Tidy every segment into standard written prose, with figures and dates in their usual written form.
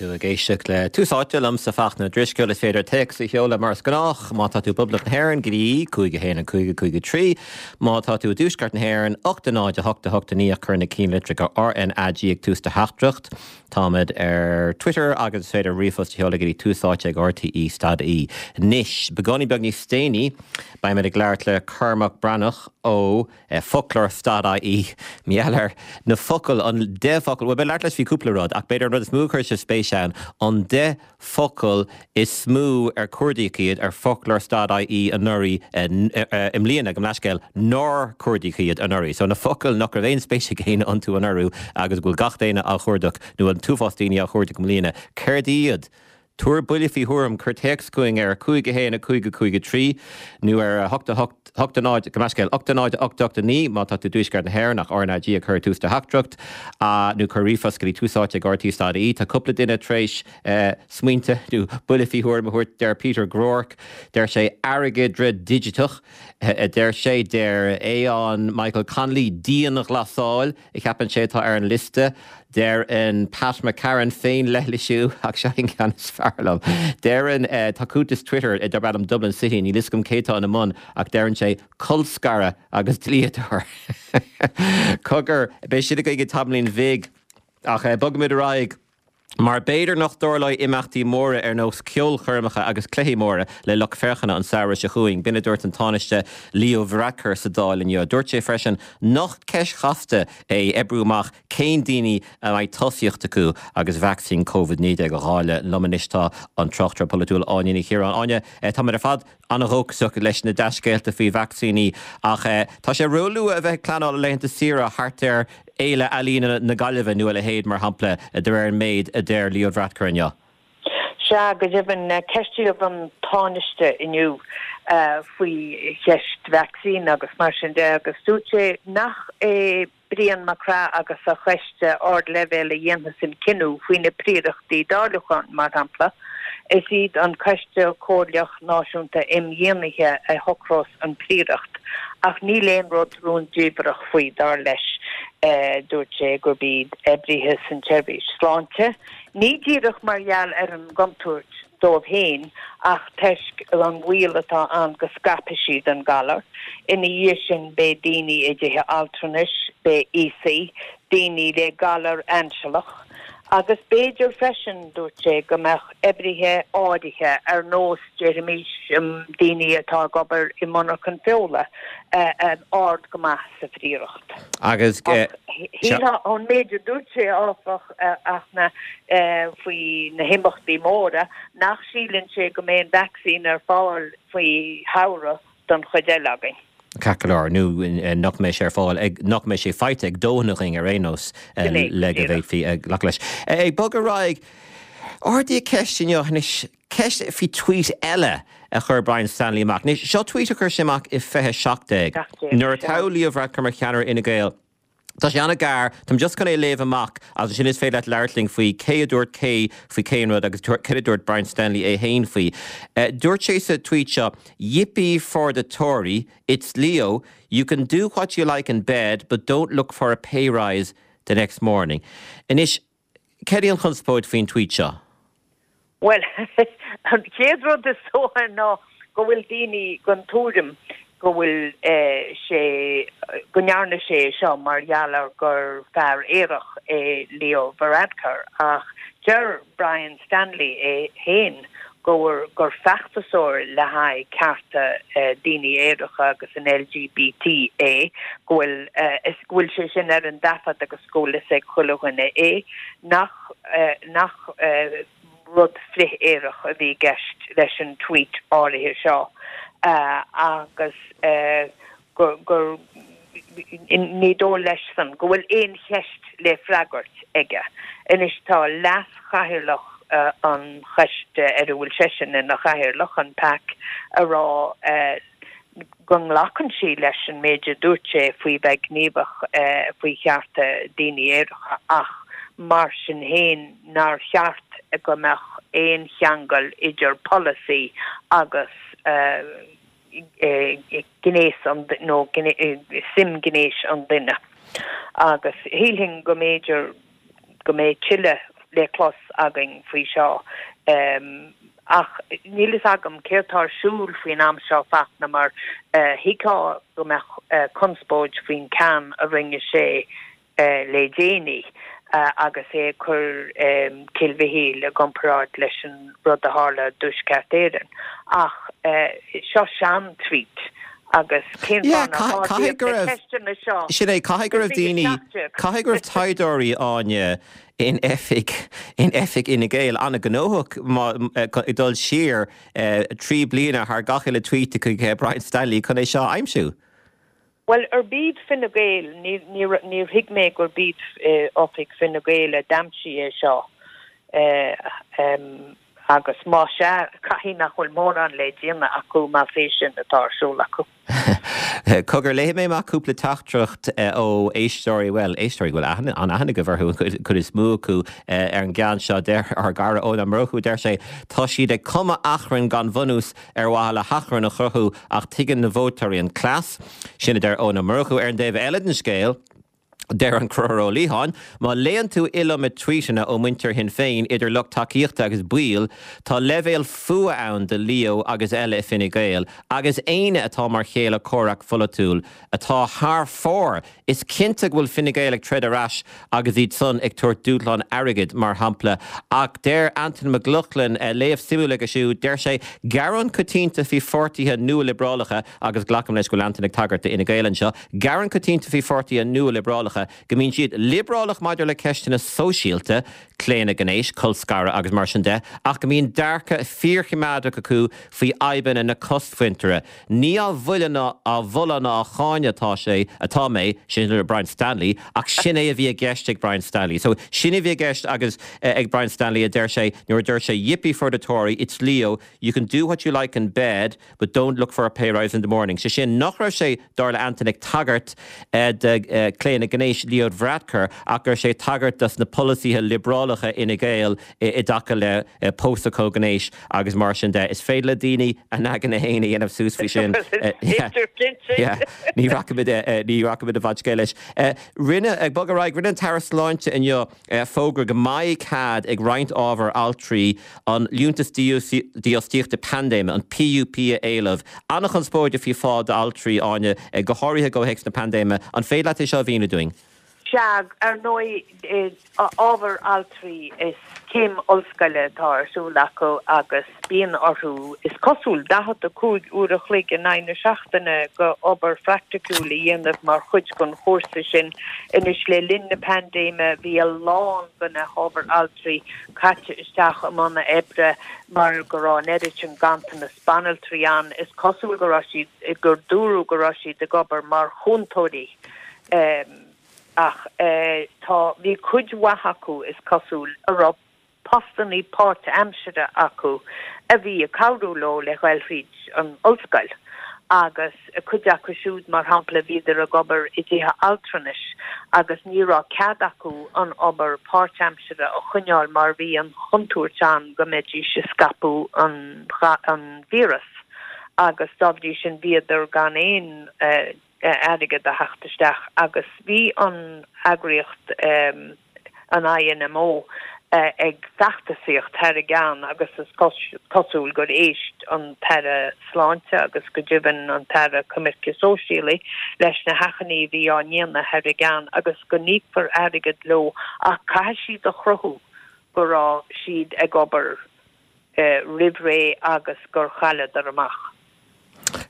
Tá tú ag éisteacht le Tús Áite liomsa Fachtna Ó Drisceoil. Is féidir téacs a sheoladh mar is gnách má tá tú i bPoblacht na hÉireann go dtí 5 1 5 5 3. Má tá tú i dTuaisceart na hÉireann, 8 0 8 8 9 ach cuir na cinnlitreacha RnaG ag tús do theachtaireacht. Táimid ar Twitter agus is féidir ríomhphost a sheoladh go dtí tús áite ag rte stad ie. Anois, beagáinín beag níos déanaí, beimid ag labhairt le Cormac Breathnach ó. Foclóir stad ie, mar gheall ar na focail, an 10 focal, bhuel, beidh labhairt leis faoi cúpla rud, ach b'fhéidir an rud is mó a chuir sé spéis ann, an 10 focal is mó ar cuardaíodh iad ar Foclóir stad ie anuraidh, i mbliana, gabh mo leithscéal, nár cuardaíodh iad anuraidh. So na focail nach raibh aon spéis ag éinne iontu anuraidh agus go bhfuil gach éinne á chuardach, nó an t-uafás daoine á chuardach i mbliana, céard iad? Tabhair buille faoi thuairim, cuir téacs chugainn ar 5 1 5 5 3 nó ar 8 8 8 0, gabh mo leithscéal, 8 0 8 8 9 má tá tú i dTuaisceart na hÉireann ach RnaG a chur ag tús do theachtaireacht, nó cuir ríomhphost go dtí tús áite ag rte stad ie. Tá cúpla duine tar éis smaointe nó buille faoi thuairim a thabhairt, deir Peter Groarke, deir sé airgeadra digiteach, a deir sé, deir Aodhán Michael Connolly dianghlasáil. a cheapann sé atá ar an liosta. Deireann Pat McCarran féinleithlisiú, ach seo an ceann is fearr liom. Deireann, tá cuntas Twitter darb ainm Dublin City, níl fhios agam cé atá ina mbun, ach deireann sé colscaradh agus dlíodóir. Cogar, beidh sin againn i dtamaillín bhig, ach bogfaimid ar aghaidh. Mar b'fhéidir nach dtarlóidh imeachtaí móra ar nós ceolchoirmeacha agus cluichí móra le lucht féachana an samhradh seo chugainn, b'in a dúirt an Tánaiste Leo Varadkar sa Dáil inniu. Dúirt sé freisin nach ceist chasta é oibriú amach cén daoine a mbeidh tosaíocht acu agus vacsaín Covid-19 á dháileadh. Liom anois tá an tráchtaire polaitiúil Áine Ní Chiaráin. Áine, táimid ar fad an-dhóchasach leis na dea-scéalta faoi vacsaíní ach tá sé róluath a bheith ag pleanáil laethanta saoire thart ar Fhéile Ealaíona na Gaillimhe nó a leithéid, mar shampla, de réir an méid a deir Leo Varadkar inniu. Sea, go deimhin, ceistíodh an Tánaiste inniu faoi cheist vacsaín agus mar sin de agus dúirt sé nach é Brian Mac Craith agus a choiste ardleibhéil a dhéanfas an cinneadh faoi na príorachtaí dáiliúcháin, mar shampla. Is iad an Coiste Comhairleach Náisiúnta Imdhíonaithe a shocrós an phríoracht, ach níl aon rud rúndiamhrach faoi, dar leis. Dúirt sé gurb iad oibrithe san tseirbhís sláinte, ní díreach mar gheall ar an gcontúirt dóibh féin ach toisc an bhaol atá ann go scaipfidh siad an galar. Ina dhiaidh sin beidh daoine i dtithe altranais, beidh aosaigh, daoine le galar ainsealach agus b'fhéidir freisin, dúirt sé, go mbeadh oibrithe áirithe ar nós, déarfaimis, daoine atá ag obair i monarchan feola, ard go maith sa phríoracht. Agus. Ach shílfeá, ón méid a dúirt sé, áfach, a Fhachtna, faoi na himeachtaí móra, nach síleann sé go mbeidh an vacsaín ar fáil faoi shamhradh don chuid eile againn. Ceart go leor, nó nach mbeidh sé ar fáil ag, nach mbeidh sé faighte ag dóthain againn ar aon nós le go bhféadfaí glacadh leis. Ag bogadh ar aghaidh, ardaíodh ceist inniu anois, ceist faoi tweet eile a chuir Brian Stanley amach. Anois, seo tweet a chuir sé amach i 2017, nuair a toghadh Leo Varadkar mar cheannaire Fhine Gael. Tá sé an-ghearr, táim just chun é a léamh amach agus ansin is féidir leat labhairt linn faoi cé a dúirt cé faoi cén rud agus céard a dúirt Brian Stanley é féin faoi. Dúirt sé sa tweet seo, Yippee for the Tory, it's Leo, you can do what you like in bed but don't look for a pay rise the next morning. Anois, Céard í an chonspóid faoin tweet seo? Bhuel, an chéad rud is dócha ná go bhfuil daoine den tuairim go bhfuil sé, go ndearna sé é seo mar gheall ar gur fear aerach é Leo Varadkar ach deir Brian Stanley é féin gur gur feachtasóir le haghaidh cearta daoine aeracha agus an LGBT é, go bhfuil go bhfuil sé sin ar an dtaifead agus go bhfuil fhios ag chuile dhuine é, nach nach rud frith-aerach a bhí i gceist leis an tweet áirithe seo agus gur gur ní dóigh leis-san go bhfuil aon cheist le freagairt aige. Anois tá leas-chathaoirleach an choiste ar a bhfuil seisean ina chathaoirleach, an pac, a rá go nglacann sí leis an méid a dúirt sé faoi bheith gníomhach faoi chearta daoine aeracha ach mar sin féin nár cheart go mbeadh aon cheangal idir polasaí agus gnéas an nó suim gnéis an duine. Agus shílfinn go mb'fhéidir go mbeidh tuilleadh. le clos againn faoi seo. Ach níl fhios agam céard tá ar siúl faoin am seo, Fachtna, mar thuigfeá go mbeadh conspóid faoin ceann a rinne sé le déanaí agus é ag cur Cill Mhichíl i gcomparáid leis an rud a tharla i dTuaisceart Éireann. Ach seo sean-tweet agus cén fáth nár ardaíodh na ceisteanna seo Sin é, caithfidh go raibh daoine, caithfidh go raibh taighdeoirí, Áine, in oifig, in oifig Fhine Gael an-ghnóthach ag dul siar 3 bliana thar gach uile tweet chuig Brian Stanley chun é seo a aimsiú. Bhuel, arb iad Fine Gael, níor thuig mé gurb iad oifig Fine Gael a d'aimsigh é seo agus más ea, caithfidh nach bhfuil mórán le déanamh acu más é sin atá ar siúl acu. Cogar, léifidh mé amach cúpla teachtaireacht ó éisteoirí, bhuel, éisteoirí go bhfuil aithne, an-aithne agaibh orthu, an chuid is mó acu, ar an gceann seo. Deir ár gcara Eoin Ó Murchú, deir sé, tá siad ag cumadh achrainn gan bhunús ar mhaithe le hachrann a chruthú ach tuigeann na vótóirí an cleas. Sin a deir Eoin Ó Murchú. Ar an dtaobh eile den scéal, deir an Conchúr Ó Liatháin, má léann tú iliomad tweeteanna ó muintir Shinn Féin, idir lucht tacaíochta agus baill, tá leibhéal fuath ann do Leo agus eile i Fine Gael agus éinne atá mar chéile comhraic pholaitiúil atá thar fóir Is cinnte go bhfuil Fine Gael ag troid ar ais agus iad san ag tabhairt dúshlán airgid, mar shampla. Ach deir Antain Mac Lochlainn, léamh suimiúil aige siúd, deir sé, gearán coitianta faoi pháirtithe nua-liobrálacha, agus glacaim leis go bhfuil Antain ag tagairt do Fhine Gael anseo, gearán coitianta faoi pháirtithe nua-liobrálacha go mbíonn siad liobrálach maidir le ceisteanna sóisialta, claonadh gnéis, colscaradh agus mar sin de, ach go mbíonn dearcadh fíorchoimeádach acu faoi fhadhbanna na cosmhuintire. Ní á mholadh ná á mholadh ná á cháineadh atá sé, atá mé, sin le Brian Stanley, ach sin é a bhí i gceist ag Brian Stanley. So, sin a bhí i gceist agus ag Brian Stanley a deir sé nuair a dúirt sé yippee for the Tory, it's Leo, you can do what you like in bed, but don't look for a pay rise in the morning. Sé sin nach raibh sé, dar le Antain, ag tagairt do claonadh gnéis Leo Varadkar ach go raibh sé ag tagairt dos na polasaithe liobrálacha Fhine Gael i dtaca le pósadh comhghnéis agus mar sin de. Is féidir le daoine a n-aigne féin a dhéanamh suas faoi sin. Ní rachaimid ní rachaimid i bhfad scéil leis. Rinne, ag bogadh ar aghaidh, rinne an tAire Sláinte inniu fógra go mbeidh cead ag roinnt ábhar altraí an Liúntas Dífhostaíochta Paindéime, an PUP, a éileamh. An-chonspóid faoi phá d'altraí, Áine, go háirithe i gcomhthéacs na paindéime. An féidir leat é seo a mhíniú dúinn? Sea, ar ndóigh, ábhar altraí is céim ollscoile atá ar siúl acu agus bíonn orthu, is cosúil, 45 uair a chloig in aghaidh na seachtaine go obair phraiticiúil a dhéanamh mar chuid den chúrsa sin. Anois, le linn na paindéime, bhí a lán de na hábhair altraí caite isteach i mbun oibre mar go raibh an oiread sin ganntanas banaltraí ann. Is cosúil go raibh siad, gur dúradh go raibh siad ag obair mar chúntóirí. Ach tá, bhí cuid mhaith acu, is cosúil, a raibh postannaí páirtaimsire acu a bhí ag cabhrú leo le ghoil thríd an ollscoil. Agus cuid acu siúd, mar shampla, bhíodar ag obair i dtithe altranais agus ní raibh cead acu an obair páirtaimsire a choinneáil mar bhí an chontúirt ann go mbeidís ag scaipeadh an víreas agus dá bhrí sin bhíodar gan aon airgead a theacht isteach agus bhí an eagraíocht, an INMO, ag feachtasaíocht thar a gceann agus is cosúil gur éist an tAire Sláinte agus go deimhin an tAire Coimirce Sóisialaí leis na hachainí a bhí á ndéanamh thar a gceann agus go n-íocfar airgead leo ach caithfidh siad a chruthú go raibh siad ag obair roimh ré agus gur chailleadar amach.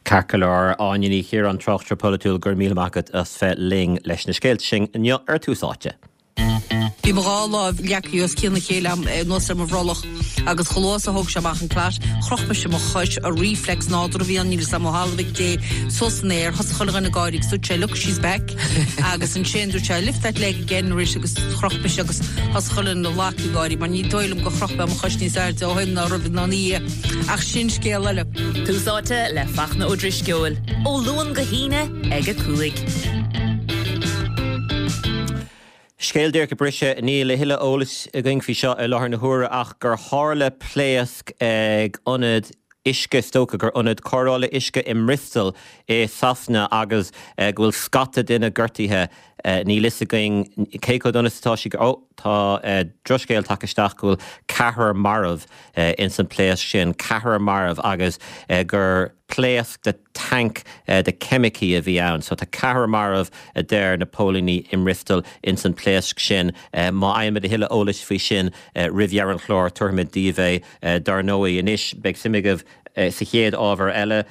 Ceart go leor, Áine Ní Chiaráin, tráchtaire polaitiúil, go raibh míle maith agat as bheith linn leis na scéalta sin inniu ar Tús Áite. Bhí mo dhá láimh leagtha os cionn a chéile agam anuas ar mo bhrollach agus chomh luath is a thóg sé amach an clot, chroch mise mo chois, a reflex nádúrtha a bhí ann, níl fhios agam ó thalamh ag Dé, suas san aer, thosaigh chuile dhuine ag gáirí agus dúirt sé look she's back agus ansin dúirt sé lift that leg again arís agus chroch mise agus thosaigh chuile dhuine ag ag gáirí mar ní dóigh liom gur chroch mé mo chois níos airde ó shin ná roimh ná ina dhiaidh. Ach sin scéal eile. Tús Áite le Fachtna Ó Drisceoil, ó Luan go hAoine ag 5. Scéal díreach ag briseadh, níl a thuilleadh eolais againn faoi seo i láthair na huaire ach gur tharla pléasc ag ionad uisce, is dócha gur ionad cóireála uisce i mBristol i Sasana agus go bhfuil scata duine gortaithe. Níl fhios againn cé chomh dona is atá sí. Ó, tá drochscéal tagtha isteach go bhfuil ceathrar marbh ins an pléasc sin, ceathrar marbh agus gur pléasc de tanc de ceimicí a bhí ann. So tá ceathrar marbh a deir na póilíní i mBristol ins an pléasc sin. Má fhaighimid a thuilleadh eolais faoi sin roimh dheireadh an chláir tabharfaimid daoibh é dar ndóigh. Anois beidh suim agaibh sa chéad ábhar eile.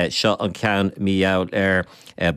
Seo an ceann mar gheall ar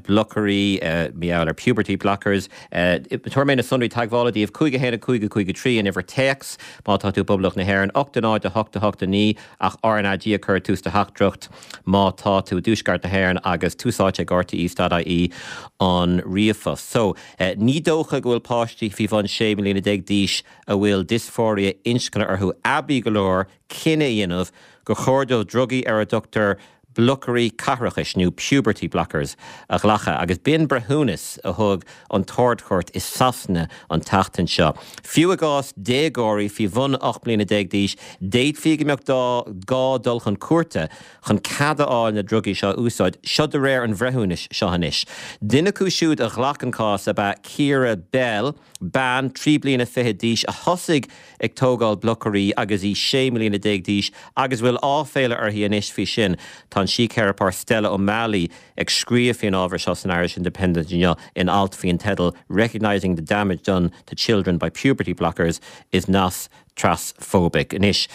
blocairí, mar gheall ar puberty blockers. Tabharfaidh mé na sonraí teagmhála daoibh, 5 1 5 5 3 an uimhir téacs má tá tú i bPoblacht na hÉireann, 8 0 8 8 9 ach RnaG a chur ag tús do theachtaireacht má tá tú i dTuaisceart na hÉireann agus tús áite ag rte.ie an ríomhphost. So, ní dócha go bhfuil páistí faoi bhun 16 mbliana d'aois a bhfuil diosfóiria inscne orthu aibí go leor cinneadh a dhéanamh gur chóir dóibh drugaí ar a dtugtar blocairí caithreachais, nó puberty blockers, a ghlacadh, agus b'in breithiúnas a thug an tArd-Chúirt i Sasana an tseachtain seo. Fiú i gcás déagóirí faoi bhun 18 mbliana d'aois, d'fhéadfaí go mbeadh gá dul chun cúirte chun cead a fháil na drugaí seo a úsáid, seo de réir an bhreithiúnais seo anois. Duine acu siúd a ghlac an cás ab ea Keira Bell, bean 23 bliana d'aois a thosaigh ag tógáil blocairí agus í 16 mbliana d'aois agus a bhfuil áiféala uirthi anois faoi sin. Tá an síctheiripeoir Stella O'Malley ag scríobh faoin ábhar seo san Irish Independent inniu in alt faoin teideal 'Recognising the damage done to children by puberty blockers is not transphobic'. Anois,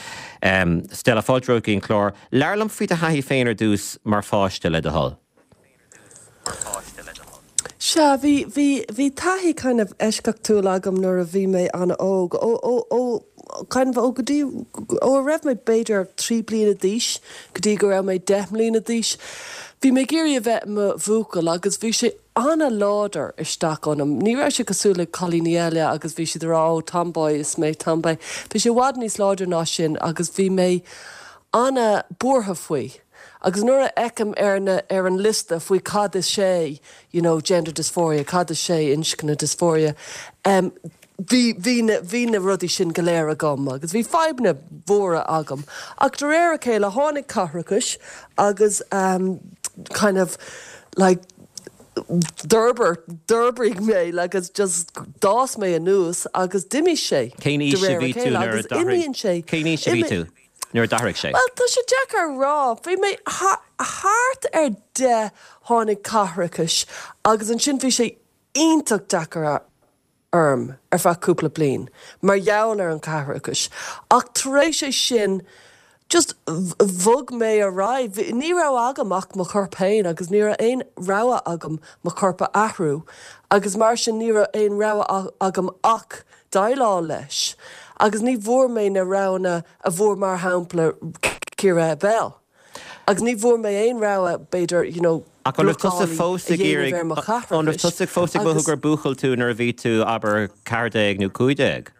Stella, fáilte romhat go dtí an clár. Labhair liom faoi do thaithí féin ar dtús mar pháiste, le do thoil. Sea, bhí, bhí, bhí taithí kind of eisceachtúil agam nuair a bhí mé an-óg. Ó, ó, ó, kind of ó go dtí, ó a raibh mé b'fhéidir 3 bliana d'aois go dtí go raibh mé 10 mbliana d'aois, bhí mé ag iarraidh a bheith i mo bhuachaill agus bhí sé an-láidir isteach ionam. Ní raibh sé cosúil le cailíní eile agus bhí siad ag rá oh tomboy, is mé tomboy. Bhí sé i bhfad níos láidre ná sin agus bhí mé an-buartha faoi. Agus nuair a fheicim ar na, ar an liosta faoi cad is é, you know, gender dysphoria, cad is é inscne dysphoria, em, bhí, bhí na, bhí na rudaí sin go léir agam agus bhí fadhbanna mhóra agam. Ach de réir a chéile tháinig caithreachas agus, em, kind of, like, d'fhorbair, d'fhorbraigh mé, like, it's just, d'fhás mé anuas agus d'imigh sé Cén de aois a réir a bhí tú chéile nuair a agus d'athraigh, imíonn sé, cén aois a bhí imigh, tú? nuair a d'athraigh sé? Bhuel, tá sé deacair a rá. Bhí mé thart ar 10 tháinig caithreachas agus ansin bhí sé iontach deacair orm ar feadh cúpla bliain mar gheall ar an chaithreachas. Ach tar éis é sin just bhog mé ar aghaidh. Ní raibh agam ach mo chorp féin agus ní raibh aon rogha agam mo chorp a athrú agus mar sin ní raibh aon rogha agam ach déileáil leis agus ní bhfuair mé na roghanna a bhfuair mar shampla Keira Bell agus ní bhfuair mé aon rogha b'fhéidir you know Ach an raibh tusa blocálaí fós a ag dhéanamh iarraidh, ar mo an raibh chaithreachais tusa fós ag mothú agus gur buachaill tú nuair a bhí tú abair 14 nó 15?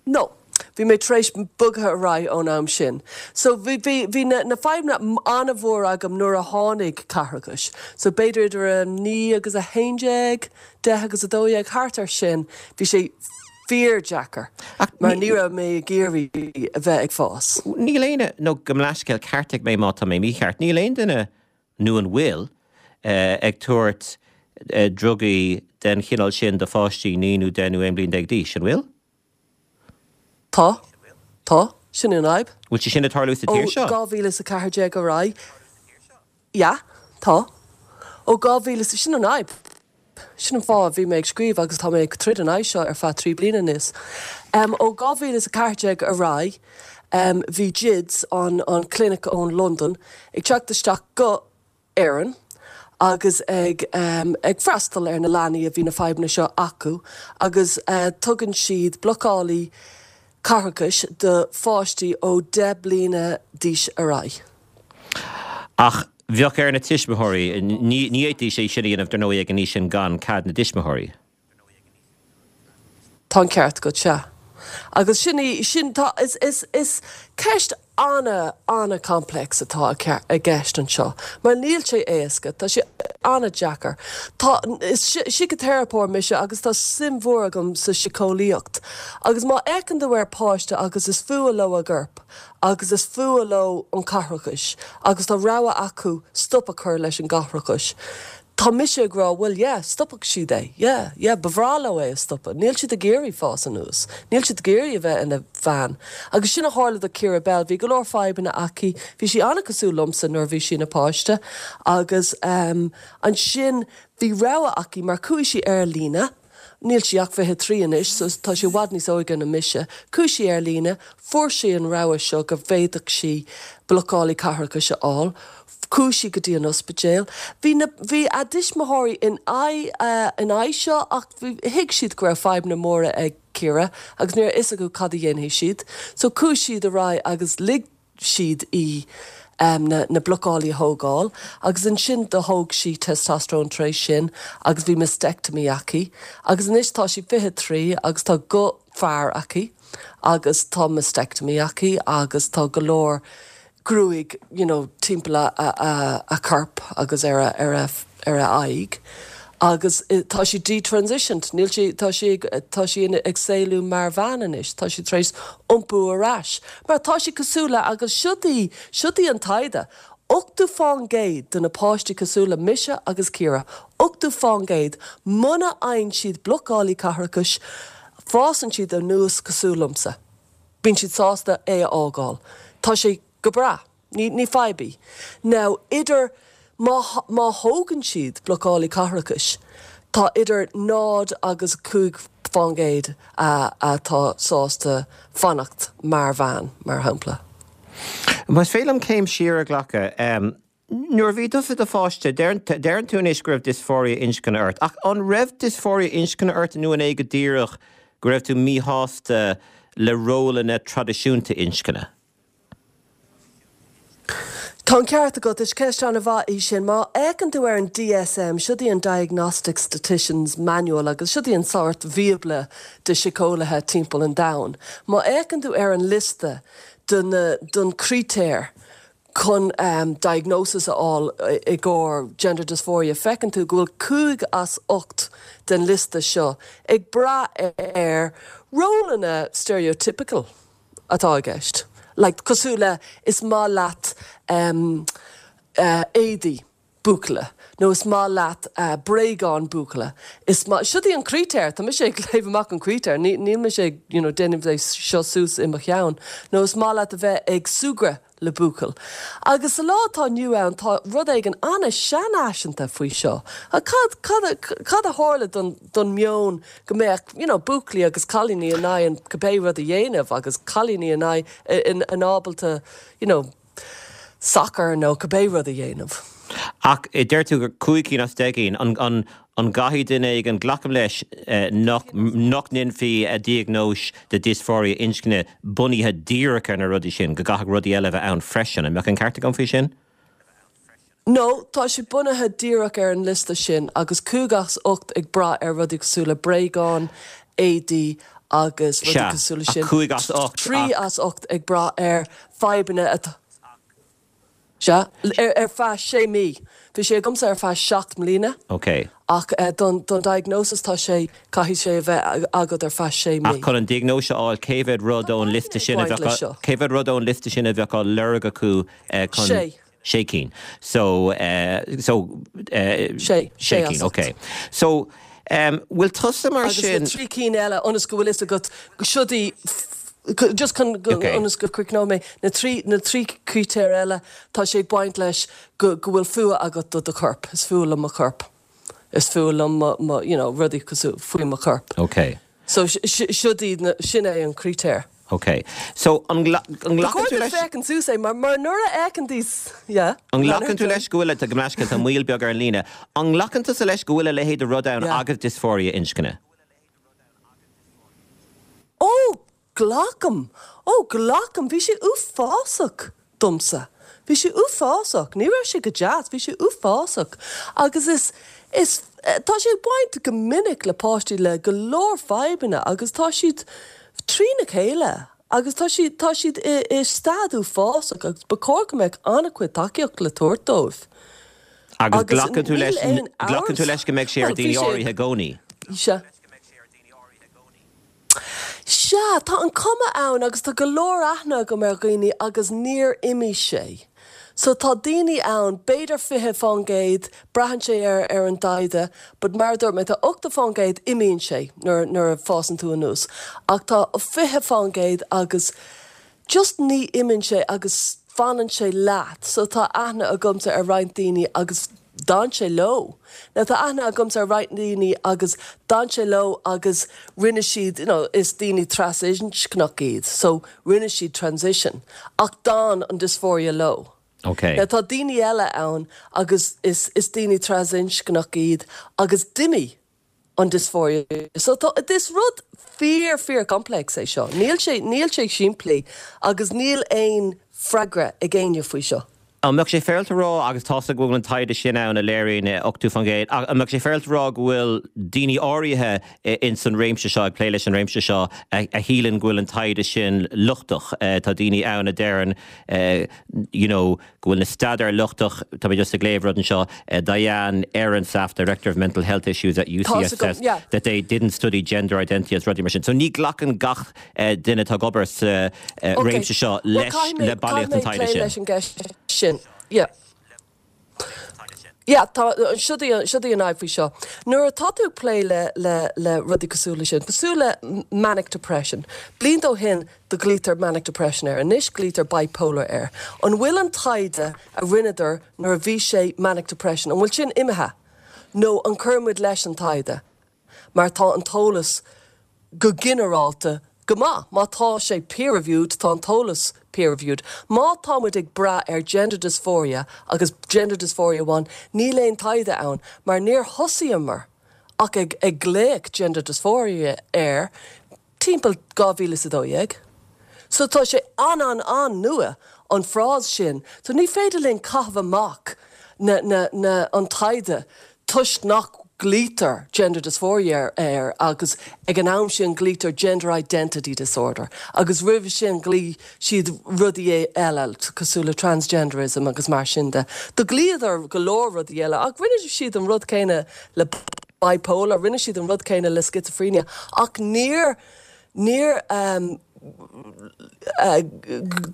No. Bhí mé tar éis bogadh ar aghaidh ón am sin. So bhí, bhí, bhí na, na fadhbanna an-mhór agam nuair a tháinig caithreachas. So b'fhéidir idir a 9 agus 11, 10 agus 12, thart ar sin, bhí sé fíor-deacair Ach mar ní, ní raibh mé ag iarraidh a bheith ag fás. níl aon, nó gabh mo leithscéal, ceartaigh mé má tá mé mícheart, níl aon duine, nó an bhfuil, ag tabhairt drugaí den chineál sin do pháistí 9 nó 10 nó 11 bliain d'aois, an bhfuil? Tá. Tá. Sin an fhadhb. Bhfuil sé sin ag tarlú sa Ó tír seo? 2014 ar aghaidh. Yeah. Tá. Ó 2000, sin an fhadhb. Sin an fáth a bhí mé ag scríobh agus tá mé ag troid in aghaidh seo ar feadh 3 bliana anois. Ó 2014 ar aghaidh, bhí GIDS, an an clinic ón Londain, ag teacht isteach go Éirinn agus ag ag freastal ar na leanaí a bhí na fadhbanna seo acu agus tugann siad blocálaí caithreachais do pháistí ó 10 bliana d'aois ar aghaidh. Ach bheadh ar na tuismitheoirí, ní fhéadfaidís é sin a dhéanamh dar ndóigh ag an aois sin gan cead na dtuismitheoirí. Tá an ceart agat, sea. Agus sin í, sin, tá, is, is, is ceist ana, ana-complex atá i gceist anseo, mar níl sé éasca, tá sé ana-deacair. Tá, is síciteiripeoir mise agus tá suim mhór agam sa síceolaíocht. Agus má fhéachann tú ar páiste agus is fuath leo a gcorp agus is fuath leo an caithreachas agus tá rogha acu stop a chur leis an gcaithreachas. Tá mise ag rá, bhuel, yeah, stopfadh siad é. Yeah, yeah, ba bhreá leo é a stopadh. Níl siad ag iarraidh fás anuas. Níl siad ag iarraidh a bheith ina bhean. Agus sin a tharla do Keira Bell. Bhí go leor fadhbanna aici. Bhí sí an-cosúil liomsa nuair a bhí sí ina páiste. Agus ehm, ansin bhí rogha aici mar chuaigh sí ar líne. Níl sí ach 23 anois so tá sí i bhfad níos óige ná mise. Chuaigh sí ar líne, fuair sí an rogha seo go bhféadfadh sí blocálaí caithreachais a fháil. Chuaigh sí go dtí an ospidéal. Bhí na, bhí a dtuismitheoirí in aghaidh, in aghaidh seo ach bhí, thuig siad go raibh fadhbanna móra ag Ciara agus ní raibh a fhios acu cad a dhéanfaidh siad. So chuaigh siad ar aghaidh agus lig siad í na na blocálaí a thógáil agus ansin do thóg sí testosterone tar éis sin agus bhí mastectomy aici agus anois tá sí 23 agus tá guth fear aici agus tá mastectomy aici agus tá go leor gruaig you know timpeall a a a corp agus ar a ar a ar a aghaidh agus tá sí detransitioned, níl sí, tá sí ag, tá sí ag saolú mar bhean anois, tá sí tar éis iompú ar ais mar tá sí cosúil le, agus siod í, siod í an taighde, 80% de na páistí cosúil le mise agus Ciara, 80% muna fhaigheann siad blocálaí caithreachais, fásann siad anuas cosúil liomsa. Bíonn siad sásta é a fhágáil. Tá sé go breá. Ní, ní fadhb í. Now, idir, má, má thógann siad blocálaí caithreachais, tá idir 0 agus 5% a, atá sásta fanacht mar bhean, mar shampla. Más féidir liom céim siar a ghlacadh, nuair a bhí tusa i do pháiste, deireann tú anois go raibh dysphoria inscne ort, ach an raibh dysphoria inscne ort nó an é go díreach go raibh tú míshásta le rólanna traidisiúnta inscne? Tá an ceart agat, is ceist an-mhaith í sin. Má fhéachann tú ar an DSM, siod í an Diagnostic Statistician's Manual agus siod í an sórt bhíobla de síceolaithe timpeall an domhain. Má fhéachann tú ar an liosta de na, don critéir chun diagnosis a fháil i gcomhair gender dysphoria, feiceann tú go bhfuil 5 as 8 den liosta seo ag brath ar rólanna stereotypical. atá i gceist. Like, cosúil le is maith leat éadaí buachalla nó is maith leat bréagáin buachalla, is maith, siod í an critéar, tá mise ag léamh amach an critéar, ní, níl mise ag, you know, déanamh é seo suas i mo cheann, nó is maith leat a bheith ag súgradh le buachaill. Agus sa lá atá inniu ann tá rud éigin an-seanfhaiseanta faoi seo. Cad, cad a, cad a tharla don, don meon go mbeadh, you know, buachaillí agus cailíní in ann cibé rud a dhéanamh agus cailíní in aghaidh, in, in ábalta, you know, sacar nó cibé rud a dhéanamh. Ach deir tú gur 5 cinn as 10 gcinn, an, an, an gcaithfidh duine éigin, glacaim leis nach, nach ndéanfaí diagnóis de dysphoria inscne bunaithe díreach ar na rudaí sin, go gcaithfeadh rudaí eile a bheith ann freisin. An mbeadh an ceart agam faoi sin? No, tá sé bunaithe díreach ar an liosta sin agus 5 as 8 ag brath ar rudaí cosúil le bréagáin, éadaí agus rudaí Sea, cosúil leis ach sin. 5 as 8 3 ach. as 8 ag brath ar fadhbanna atá. Sea, ar feadh sé mí. Bhí sé agamsa ar feadh 7 mbliana. Ok. Ach don diagnosis tá sé, caithfidh sé a bheith agat ar feadh sé mí. Ach chun an diagnóis a fháil, cé mhéad rud ón liosta sin a bheadh á, cé mhéad rud ón liosta sin a bheadh á lorg acu chun. Sé. Sé cinn. So, so, Sé. Sé cinn, ok. So, bhfuil tusa mar sin. Agus na trí cinn eile, ionas go bhfuil fhios agat, siod í, just chun, ionas go gcríochnóidh mé, na trí, na trí critéar eile, tá sé ag baint leis go, go bhfuil fuath agat do do chorp, is fuath liom mo chorp. Is fuath liom mo, mo, you know, rudaí cosúil, faoi mo chorp. Ok. So, siod iad na, sin é an critéar. Ok. So, an nglacann tú leis. Ba chóir duit féachaint suas é, mar, mar nuair a fhéachann tú, yeah. An nglacann tú leis go bhfuil, tá, gabh mo leithscéal, tá moill beag ar an líne. An nglacann tusa leis go bhfuil a leithéid de rud ann Yeah. agus dysphoria inscne? Ó! Glacaim! Ó, glacaim! Bhí sé uafásach domsa. Bhí sé uafásach. Ní raibh sé go deas, bhí sé uafásach. Agus is, is, tá sé ag baint go minic le páistí le go leor fadhbanna agus tá siad trína chéile agus tá siad, tá siad i, i staid uafásach agus ba chóir go mbeadh an-chuid tacaíocht le tabhairt dóibh. Agus Agus glacann tú níl leis, aon glacann tú amhras, leis go mbeidh sé ar bhuel, bhí daoine sé, áirithe i gcónaí? sea. Sea, tá an cuma ann agus tá go leor aithne agam ar dhaoine agus níor imigh sé. So tá daoine ann, b'fhéidir 20%, braitheann sé ar ar an dtaighde, but mar a dúirt mé, tá 80% imíonn sé nuair nuair a fásann tú anuas, ach tá 20% agus just ní imíonn sé agus fanann sé leat. So tá aithne agamsa ar roinnt daoine agus d'fhan sé leo. Now tá aithne agamsa ar roinnt daoine agus d'fhan sé leo agus rinne siad, you know, is daoine trasinscneach iad, so rinne siad transition ach d'fhan an dysphoria leo. Ok. Now tá daoine eile ann agus is is daoine trasinscneach iad agus d'imigh an dysphoria. So tá, is rud fíor fíor complex é seo. Níl sé, níl sé simplí agus níl aon freagra ag éinne faoi seo. An mbeadh sé féaráilte a rá, agus tá's agam go bhfuil an taighde sin ann a léiríonn 80%, ach an mbeadh sé féaráilte a rá go bhfuil daoine áirithe ins an réimse seo, ag plé leis an réimse seo, a shíleann go bhfuil an taighde sin lochtach? Tá daoine ann a deireann, you know, go bhfuil na staidéir lochtach, tá mé just ag léamh rud anseo, Diane Ehrensaft, Director of Mental Health Issues at UCSF, that they didn't study gender identity agus rudaí mar sin. So ní ghlacann gach duine atá ag obair sa réimse seo leis, le bailíocht an taighde sin. Caithfidh mé plé leis an gceist sin. Yeah. Yeah, tá, siod í, siod í an fhadhb faoi seo. Nuair atá tú ag plé le, le, le rudaí cosúil le sin, cosúil le manic depression, blianta ó shin do ghlaoitear manic depression air, anois glaoitear bipolar air. An bhfuil an taighde a rinneadar nuair a bhí sé manic depression, an bhfuil sin imithe? Nó an cuireann muid leis an taighde? Mar tá an t-eolas go ginearálta go maith. Má tá sé peer reviewed, tá an t-eolas peer reviewed. Má tá muid ag brath ar gender dysphoria agus gender dysphoria amháin, níl aon taighde ann mar níor thosaíomar ach ag ag glaoch gender dysphoria air timpeall 2012. So tá sé an-an-an-nua, an frása sin. So ní féidir linn caitheamh amach na, na, na, an taighde toisc nach glaoitear gender dysphoria air agus ag an am sin glaoitear gender identity disorder agus roimhe sin ghlaoigh siad rudaí eile cosúil le transgenderism agus mar sin de. Do ghlaodar go leor rudaí eile ach rinne siad an rud céanna le bipolar, rinne siad an rud céanna le schizophrenia ach níor, níor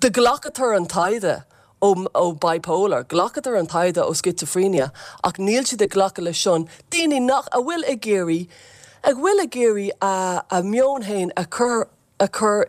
do ghlacadar an taighde ó ó bipolar, ghlacadar an taighde ó schizophrenia ach níl siad ag glacadh leis sin, daoine nach, a bhfuil ag iarraidh, a bhfuil ag iarraidh a a meon féin a chur, a chur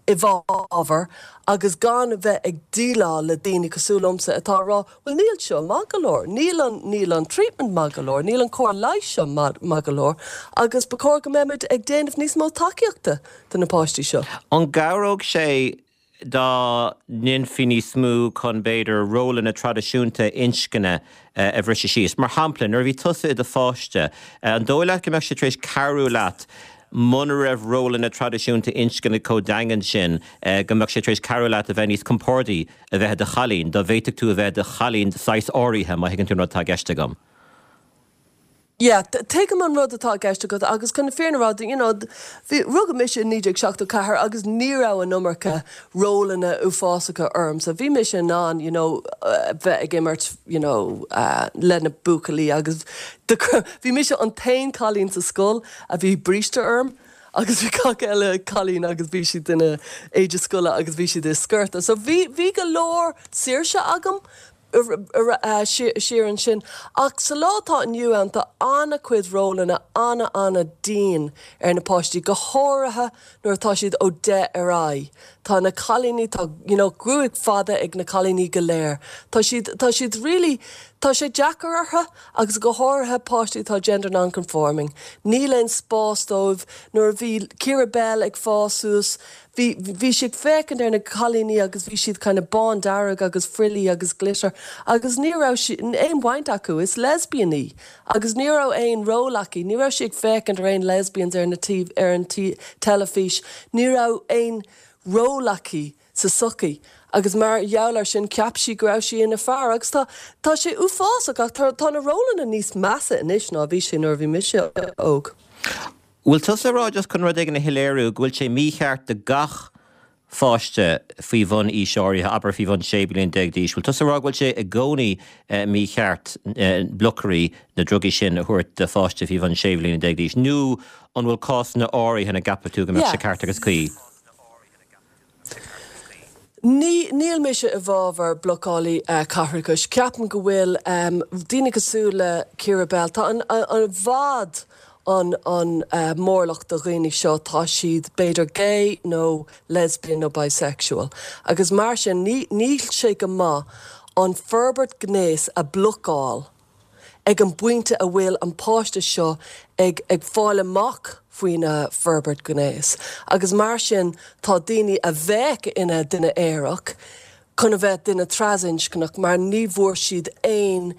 i bhfabhar agus gan a bheith ag déileáil le daoine cosúil liomsa atá ag rá bhuel níl seo maith go leor, níl an, níl an treatment maith go leor, níl an cóir leighis seo maith, maith go leor agus ba chóir go mbeimid ag déanamh níos mó tacaíochta do na páistí seo. An gcabhródh sé dá ndéanfaí níos mó chun, b'fhéidir, rólanna traidisiúnta inscne a bhriseadh síos? Mar shampla, nuair a bhí tusa i do pháiste, an dóigh leat go mbeadh sé tar éis cabhrú leat muna raibh rólanna traidisiúnta inscne chomh daingean sin, go mbeadh sé tar éis cabhrú leat a bheith níos compordaí a bheith i do chailín, dá bhféadfadh tú a bheith i do chailín de shaghas áirithe, má thuigeann tú an rud atá i gceist agam? Yeah, tuigim an rud atá i gceist agat agus chun na fírinne a rá, you know, bhí, rugadh mise i 1974 agus ní raibh an iomarca rólanna uafásacha ormsa. Bhí mise in ann, you know, bheith ag imirt, you know, le na buachaillí agus bhí mise an t-aon cailín sa scoil a bhí bríste orm agus bhí gach eile cailín agus bhí siad ina éide scoile agus bhí siad i sciorta. So bhí, bhí go leor saoirse agam siar ansin. Ach sa lá atá inniu ann tá an-chuid rólanna ana-ana-dian ar na páistí, go háirithe nuair atá siad ó 10 ar aghaidh. Tá na cailíní, tá you know gruaig fada ag na cailíní go léir. Tá siad, tá siad really, tá sé deacair orthu agus go háirithe páistí atá gender non-conforming. Níl aon spás dóibh. Nuair a bhí Ciara Bell ag fás suas, Bhí, bhí sí ag féachaint ar na cailíní agus bhí siad kind of bándearg agus frilly agus glitter agus ní raibh sí, aon bhaint acu, is lesbian í agus ní raibh aon ról aici, ní raibh sí ag féachaint ar aon lesbians ar na tí, ar an tí, teilifís, ní raibh aon ról aici sa tsochaí agus mar gheall ar sin cheap sí go raibh sí ina fear agus tá, tá sé uafásach ach tá, tá na rólanna níos measa anois ná a bhí sé nuair a bhí mise óg. Bhfuil tusa ag rá, just chun rud éigin a shoiléiriú, go bhfuil sé mícheart do gach pháiste faoi bhun aois áirithe, abair faoi bhun 16 bliain d'aois, bhfuil tusa ag rá go bhfuil sé i gcónaí mícheart blocairí, na drugaí sin, a thabhairt do pháiste faoi bhun 16 bliana d'aois, nó an bhfuil cásanna áirithe ina gceapann tú go mbeadh sé ceart agus cuí? Ní, níl mise i bhfabhar blocálaí caithreachais. Ceapaim go bhfuil daoine cosúil le Keira Bell, tá an, i bhfad an, an mórlach de dhaoine seo, tá siad b'fhéidir gay nó lesbian nó bisexual agus mar sin ní, níl sé go maith an forbairt gnéas a blocáil. ag an bpointe a bhfuil an páiste seo ag ag fáil amach faoina forbairt gnéas agus mar sin tá daoine a bheadh ina duine aerach chun a bheith duine trasinscneach mar ní bhfuair siad aon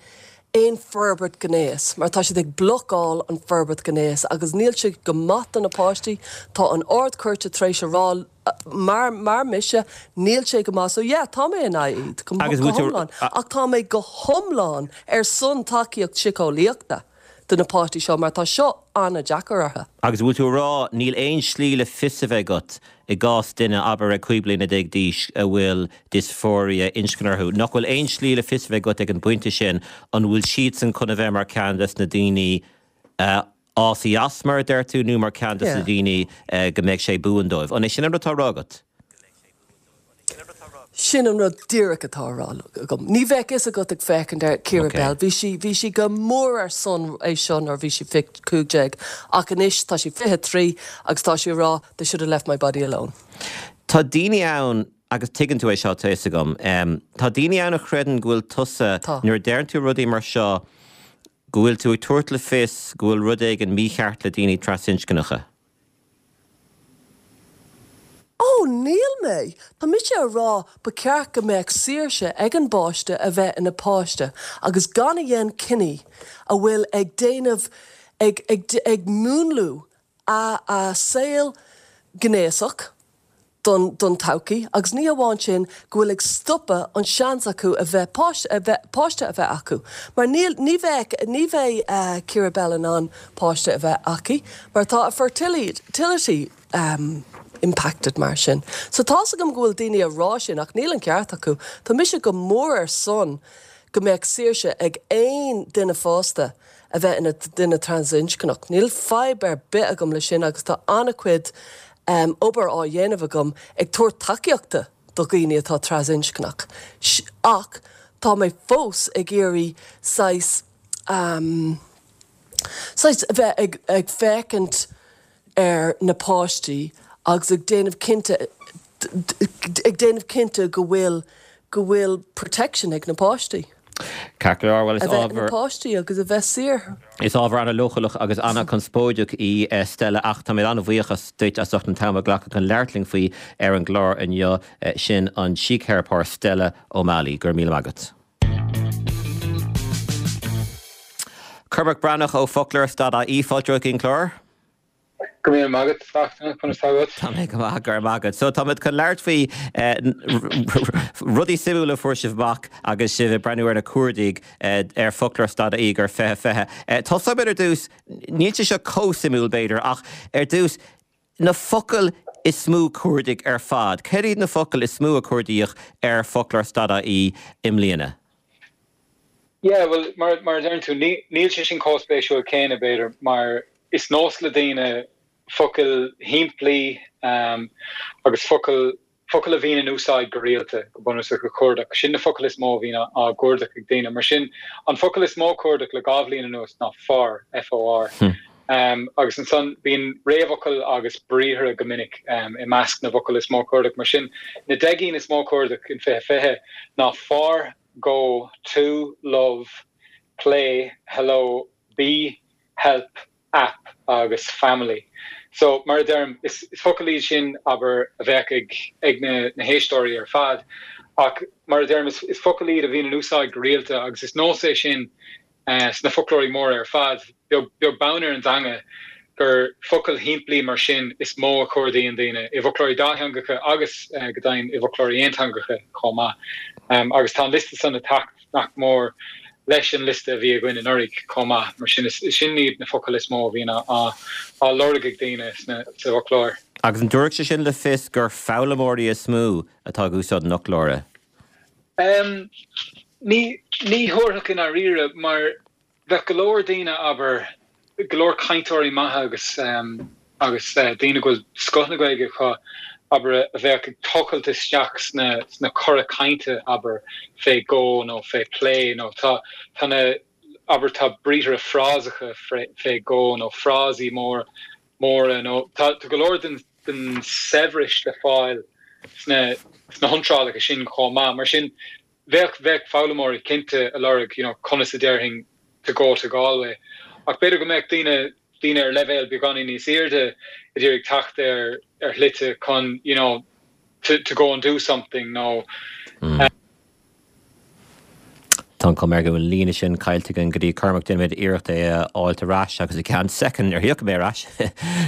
aon forbairt gnéas mar tá siad ag blocáil an forbairt gnéas agus níl sé go maith do na páistí tá an Ard Chúirte tar éis a rá Mar, mar mise, níl sé go maith. So yeah, tá mé in aghaidh iad, go, Agus go bhfuil tú, hiomlán. Ach tá mé go hiomlán ar son tacaíocht siceolaíochta do na páistí seo mar tá seo an-deacair orthu. Agus bhfuil tú a rá, níl aon slí le fios a bheith agat i gcás duine, abair, ag 15 bliana d'aois a bhfuil dysphoria inscne orthu, nach bhfuil aon slí le fios a bheith agat ag an bpointe sin an bhfuil siadsan chun a bheith mar ceann des na daoine a fhásfaidh as, mar a deir tú, nó mar ceann de na daoine go mbeidh sé buan dóibh. An é sin an rud atá á rá agat? Sin an rud díreach atá á rá agam. Ní bheadh fhios agat ag féachaint ar Keira Bell. Bhí sí, bhí sí go mór ar son é seo nuair a bhí sí 15, ach anois tá sí 23 agus tá sí ag rá they should have left my body alone. Tá daoine ann, agus tuigeann tú é seo, tá fhios agam, tá daoine ann a chreideann go bhfuil tusa, nuair a deireann tú rudaí mar seo, go bhfuil tú ag tabhairt le fios go bhfuil rud éigin mícheart le daoine trasinscneacha. Ó, níl mé! Tá mise a rá ba cheart go mbeadh saoirse ag an bpáiste a bheith ina páiste agus gan a dhéan cinní a bhfuil ag déanamh, ag, ag, ag múnlú a, a saol gnéasach. don don todhchaí agus ní hamháin sin go bhfuil ag stopadh an seans acu a bheith páiste a bheith páiste a bheith acu mar níl ní bheadh ní bheidh Keira Bell in ann páiste a bheith aici mar tá a fertility impacted mar sin. So tá's agam go bhfuil daoine a rá sin ach níl an ceart acu. Tá mise go mór ar son go mbeadh saoirse ag aon duine fásta a bheith ina duine trasinscneach. Níl fadhb ar bith agam le sin agus tá an-chuid obair á dhéanamh agam ag tabhairt tacaíochta do dhaoine atá trasinscneach. Ach tá mé fós ag iarraidh saghas, saghas a bheith ag, ag féachaint ar na páistí agus ag déanamh cinnte, ag déanamh cinnte go bhfuil, go bhfuil protection ag na páistí. Ceart go leor, bhuel is A bheith ina ábhar. páistí agus a bheith saor. Is ábhar an-leochaileach agus an-chonspóideach í Stella ach táimid an-bhuíoch duit as ucht an t-am a ghlacadh chun labhairt linn faoi ar an gclár inniu. Sin an síctheiripeoir Stella O'Malley. Go raibh míle maith agat. Cormac Breathnach ó Foclóir Stad AE, fáilte romhat chuig an gclár. Go raibh míle maith agat, Fachtna, conas tá agat? Tá mé go maith, go raibh maith agat. So táimid chun labhairt faoi rudaí suimiúla a fuair sibh amach agus sibh ag breathnú ar na cuardaigh ar Foclóir Stad AE do 2020. Tosóimid ar dtús, níl sé seo chomh suimiúil b'fhéidir, ach ar dtús, na focail is mó cuardaigh ar fad. Céard iad na focail is mó a cuardaíodh ar Foclóir Stad AE i mbliana? Yeah, bhuel, mar, mar a deireann tú, ní, níl sé sin chomh spéisiúil céanna, b'fhéidir, mar is nós le daoine focail shimplí um, agus focail, focail a bhíonn in úsáid go rialta, go bunúsach, a chuardach. Sin na focail is mó a bhíonn á, á gcuardach ag daoine. Mar sin, an focal is mó cuardach le 2 bhliain anuas ná for, F-O-R. Um, agus ansan bíonn réamhfhocail agus briathra go minic um, i measc na bhfocal is mó cuardach. Mar sin, na 10 gcinn is mó cuardach in 2020 ná for, go, to, love, play, hello, be, help, app agus family. So, mar a deirim, is focail iad sin, abair, a bheadh ag ag na na héisteoirí ar fad, ach mar a deirim, is is focail iad a bhíonn in úsáid go rialta agus is nós é sin sna foclóirí móra ar fad, beag beag beann ar an dteanga, gur focail shimplí mar sin is mó a chuardaíonn daoine, i bhfoclóirí dátheangacha agus, go deimhin, i bhfoclóirí aonteangacha chomh maith. Agus tá an liosta san ag teacht nach mór leis an liosta a bhí againn anuraidh chomh maith. Mar sin, is sin iad na focail is mó a bhíonn á lorg ag daoine sna, sa bhfoclóir. Agus an dtabharfadh sé sin le fios gur foghlaimeoirí is mó atá ag úsáid an fhoclóra? Ní, ní thabharfadh i ndáiríre, mar bheadh go leor daoine, abair, go leor cainteoirí maithe agus, agus daoine go bhfuil scoth na Gaeilge acu. abair, a bheadh ag tochailt isteach sna, sna cora cainte, abair, fé go nó fé plé nó tá, tá na, abair, tá briathra frásacha fé go nó frásaí mór, móra nó tá, tá go leor den, den saibhreas le fáil sna, sna hiontrálacha sin chomh maith. Mar sin, Bheadh, bheadh foghlaimeoirí cinnte ag lorg, you know, conas a déarfainn to go to Galway. Ach b'fhéidir go mbeadh daoine, daoine ar leibhéal beagáinín níos airde ag iarraidh teacht ar, ar shlite chun, you know, to, to go and do something nó. Tá an chuma air go bhfuil an líne sin caillte againn go dtí Cormac. Déanfaimid iarracht é a fháilt ar ais agus i gceann soicind nuair a thiocfaidh mé ar ais,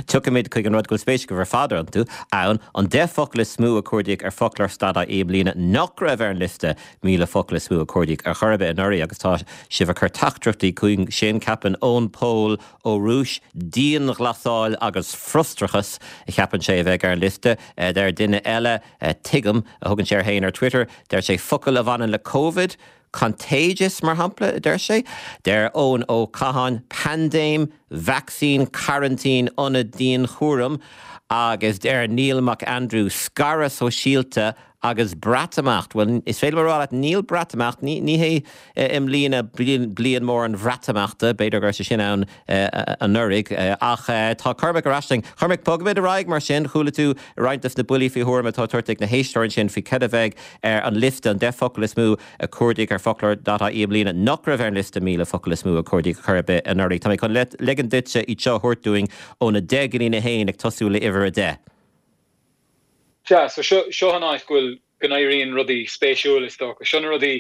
tiocfaimid chuig an rud go bhfuil spéis agaibh ar fad iontu, ann, an 10 focal is mó a cuardaíodh ar foclóir stad ie i mbliana nach raibh ar an liosta 1,000 focal is mó a cuardaíodh ar chor ar bith anuraidh agus tá sibh ag cur teachtaireachtaí chugainn sin, ceapann Eoin Pól Ó Rúis, dianghlasáil agus frustrachas a cheapann sé a bheidh ar an liosta. Deir duine eile, Tuigim, a thugann sé air féin ar Twitter, deir sé focail a bhaineann le Covid, contagious, mar shampla, a deir sé. Deir Eoin Ó Catháin, paindéim, vacsaín, coraintín, ionad dianchúraim agus deir Neil Mac Aindriú, scaradh sóisialta agus Breatimeacht. Bhuel, is féidir liom a rá leat, níl Breatimeacht, ní, ní hé i mbliana bliain mór an Bhreatimeachta, b'fhéidir go raibh sé sin ann anuraidh, ach tá Cormac ar ais linn. Cormac, bogfaimid ar aghaidh mar sin. Chuala tú roinnt de na buillí faoi thuairim atá tabhartha ag na héisteoirí ansin faoi cad a bheidh ar an liosta, an 10 focal is mó a cuardaíodh ar foclóir dot ie i mbliana nach raibh ar an liosta 1,000 focal is mó a cuardaíodh ar chor ar bith anuraidh. Tá mé chun ligean duitse iad seo a thabhairt dúinn ón 10 go dtí'n 1 ag tosú le uimhir 10. Sea, so seo, seo an áit go bhfuil, go n-éiríonn rudaí spéisiúil is dócha. Seo na rudaí,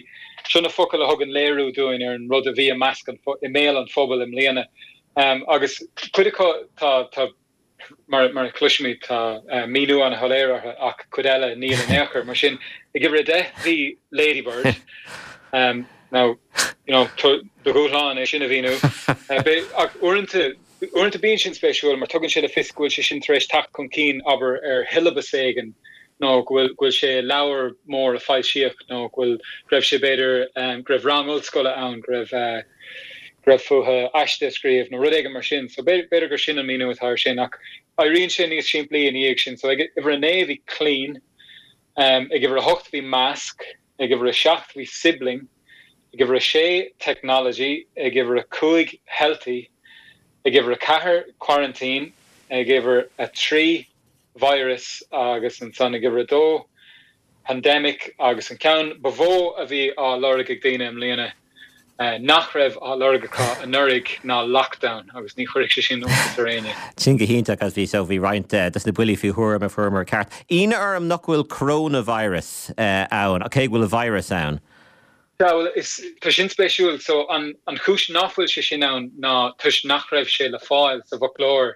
seo na focail a thugann léiriú dúinn ar an rud a bhí i measc an, i mbéal an phobail i mbliana. Agus cuid acu tá, tá, mar, mar a chloisimid, tá míniú an-shoiléir orthu ach cuid eile níl in aon chor. Mar sin, ag uimhir 10 bhí Ladybird. Now, you know, do dhúshlán é sin a mhíniú. Ach uaireanta, Uaireanta bíonn sin spéisiúil mar tugann sé le fios go bhfuil sé sin tar éis teacht chun cinn, abair, ar shiollabas éigin nó go bhfuil go bhfuil sé i leabhar mór a foilsíodh nó go bhfuil go raibh sé b'fhéidir go raibh rang ollscoile ann go raibh go raibh fúthu aiste a scríobh nó rud éigin mar sin. So b'fhéidir gur sin an míniú atá air sin ach éiríonn sé níos simplí ina dhiaidh sin. So ag uimhir a 9 bhí clean, ag uimhir a 8 bhí mask, ag uimhir a 7 bhí sibling, Ag uimhir a sé, Technology. Ag uimhir a 5, Healthy. Ag uimhir a 4, Quarantine. Ag uimhir a 3, Virus agus ansan ag uimhir a 2, Pandemic agus an ceann ba mhó a bhí á lorg ag daoine i mbliana nach raibh á lorg acu anuraidh ná Lockdown agus ní chuirfidh sé sin iontas ar éinne. Sin go hiontach agus bhí so bhí roinnt des na buillí faoi thuairim a fuaireamar ceart. Ionadh orm nach bhfuil Coronavirus ann, cé go bhfuil virus ann. Sea, bhuel, is, tá sin spéisiúil. So, an, an chúis nach bhfuil sé sin ann ná toisc nach raibh sé le fáil sa bhfoclóir